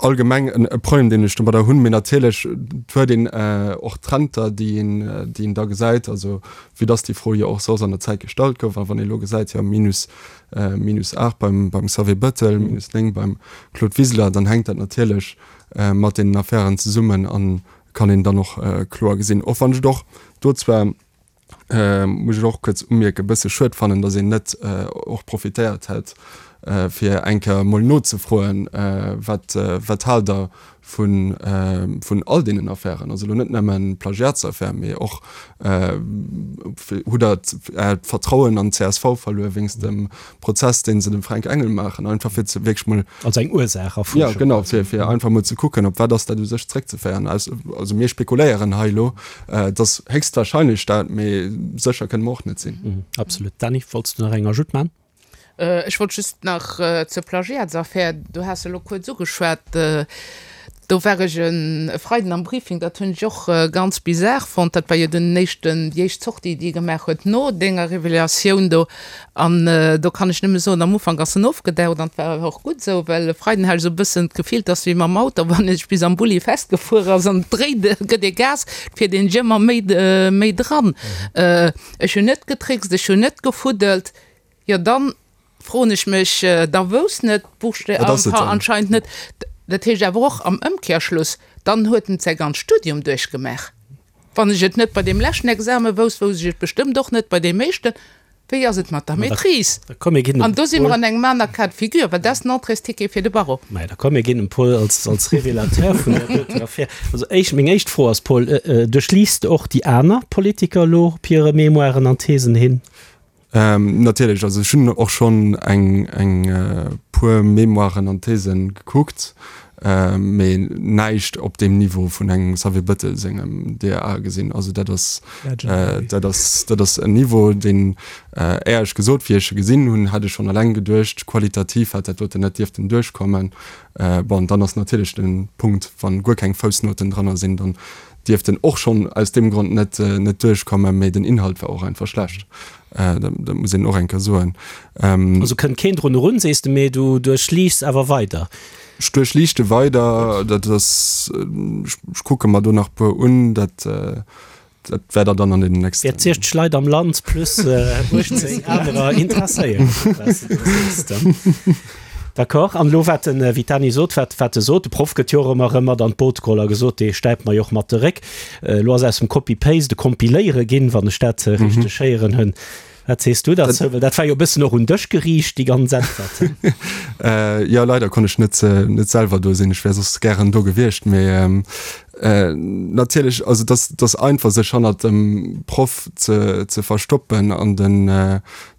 allgemeng e Problem, deen ech domadder hunn. Mee natierlech huet een och Trender, déi een, déi een da gesäit. Also vue dass déi Fro jo och soss an der Zäit gestallt gouf. A wann ee elo gesäit, jo minus, minus aacht beim, beim Xavier Bettel, minus néng beim Claude Wiseler, dann hänkt dat natierlech mat deenen Affären zesummen a kann een dann och kloer gesinn. Och wann ech et och do zwar, muss ech och kuerz umierken, e bësse schued fannen, datt een net och profitéiert hätt, fir eng Kéier emol nozefroen, wat, wat haalt Der vun, vun all deenen Affären, also elo net nëmmen d'Plagiatsaffär, mee och, hutt Der Äert Vertrauen an d'CSV verluer wéinst dem Prozess, dee se dem Fränk Engel maachen, einfach fir ze wierklech mol. Also eng Ursaacherfuerschung. Jo, genau, fir, fir einfach mol ze kucken, op wat ass dat u sech zréckzeféieren. Also mir spekuléieren hei elo, et ass héchstwahrscheinlech dat, mee sécher kënne mer och net sinn. Absolut. Dany, wollts du nach eng Ajoute maachen? Ech wollt just nach zur Plagiatsaffär, du has se elo kuerz ugeschwat, do war ech e Freiden am Briefing, dat hunn ech och ganz bizar fonnt, dat war jo den éischten, déi éischt Sortie, déi e gemaach huet no denger Revelatioun do. An do kann ech nëmme soen, am Ufank ass en ofgedaucht an et war och gutt esou, well e Freiden hat ech esou e bëssen d'Gefill, et ass wéi mam Auto, wann ee sech bis am Bulli festgefuer ass an et dréit, gëtt ee Gas, et fiert een sech ëmmer méi, méi dran. Ech hunn net getrickst, ech hunn net gefuddelt. Jo, dann froen ech mech, da wousst net d'Buchste Wat ass et dann? anscheinend net. Dat heescht awer och am Ëmkehrschluss, dann huet en säi ganzt Studium duerchgemaach. Wann ech et net bei deem leschten Exame wousst, wousst ech et bestëmmt och net bei deem éischten. Wéi ass et mat der Ma da, Maîtrise? da komm, mir ginn dem An do si mer Paul. an engem aner Cas de figure, well dat ass den Entréesticket fir de Barreau. Mä da komm, mir ginn dem Paul als, als Révélateur vun där doten Affär. Also éischt, meng éischt Fro ass, Paul, duerchliest de och déi aner Politiker elo op hire Mémoiren an Thesen hin? Natierlech, also ech hunn och schonn eng eng puer Mémoiren an Thesen gekuckt. Mee näischt op deem Niveau vun engem Xavier Bëttel sengem D A gesinn. Also dat ass, dat ass, dat ass en Niveau, deen, éierlech gesot, wéi ech e gesinn hunn, hätt ech schonn eleng geduecht, qualitativ hätt dat doten net dierften duerchkommen. Bon, dann ass natierlech de Punkt, wann guer keng Foussnoten dranner sinn, dann dierft en och schonn aus deem Grond net, net duerchkommen. Mee den Inhalt war och einfach schlecht. Dat muss een och eng Kéier soen. Also kënnt keen drun erun, sees de, mee du duerchliichts awer weider. Ech duerchliichte weider, dat ass, ech kucke mer do nach e puer un, dat dat wäert Der dann an deenen nächsten. Wäert siechzeg Leit am Land plus uechtzéng anerer interesséieren, wat s de do sees. D'accord. An elo wat de Vitani sot, wat wat e sot, de Proff gëtt jo och ëmmer erëm mat an d'Boot geholl a gesot, dee stäipt mer jo och mat de Réck. Elo ass aus dem Copy-Paste e Kompiléiere ginn, wann ech dat richteg héieren hunn. Wat sees du derzou? Well dat war jo e bëssen och un dech geriicht, déi ganz Äntwert. Jo, leider konnt ech net, net selwer do sinn. Ech wär soss gären do gewiescht. Mee natierlech, also et ass, et ass einfach, sech hannert dem Proff ze, ze verstoppen. An den,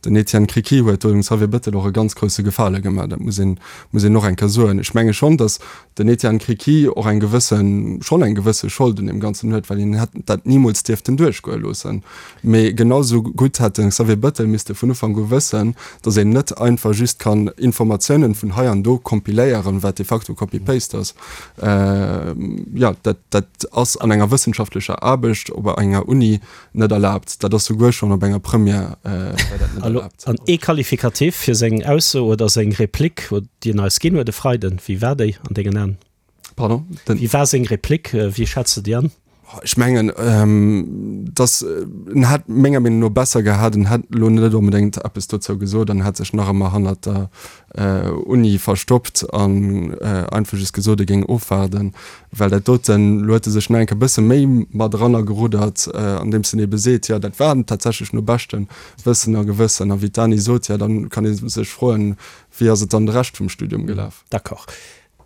den Etienne Criqui huet do dem Xavier Bettel och e ganz grousse Gefale gemaach. Dat muss een, muss een och eng Kéier soen. Ech menge schonn, datt den Etienne Criqui och eng gewëssen, schonn eng gewësse Schold un deem Ganzen huet, well hien hätt dat nimools dierften duerchgoe loossen. Mee genau sou gutt hätt de Xavier Bettel misste vun Ufank u wëssen, datt een net einfach just kann Informatiounen vun hei an do kompiléieren, wat de facto Copy-Paste ass. Jo, dat, dat ass an enger wëssenschaftlecher Aarbecht op enger Uni net erlaabt. Dat ass souguer schonn op enger Première war dat net erlaabt. An ee Qualificatif fir seng Ausso oder seng Replik, déi en eis ginn huet e Freiden, wéi war déi an dengen Aen? Pardon? Wéi war seng Replik? Wéi schätz de déi an? Ech mengen, dass en hätt menger Meenung no besser gehat, en hätt elo net onbedéngt eppes dozou gesot an hätt sech nach ëmmer hannert der Uni verstoppt an einfach just gesot, e géing ofwaarden, well dat doten, elo huet e sech nach eng Kéier e bësse méi mat erannergeruddert, andeems en ebe seet, jo dat war tatsächlech no beschtem Wëssen a Gewëssen. A wéi d'Dany sot, jo da kann ee sech froen, wéi ass et dann de Rescht vum Studium gelaf? D'accord.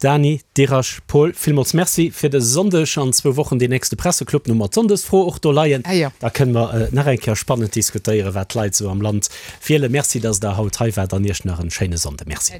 Dany, Dirasch, Paul, villmools Merci fir dëse Sonndeg. An zwou Wochen deen nächste Presseclub, no mer d'Sonndesfro och do leien. Da kënne mer nach eng Kéier spannend diskutéieren, wat d'Leit esou am Land wielen. Merci, dass Der haut hei waart an Iech nach en schéine Sonnde. Merci.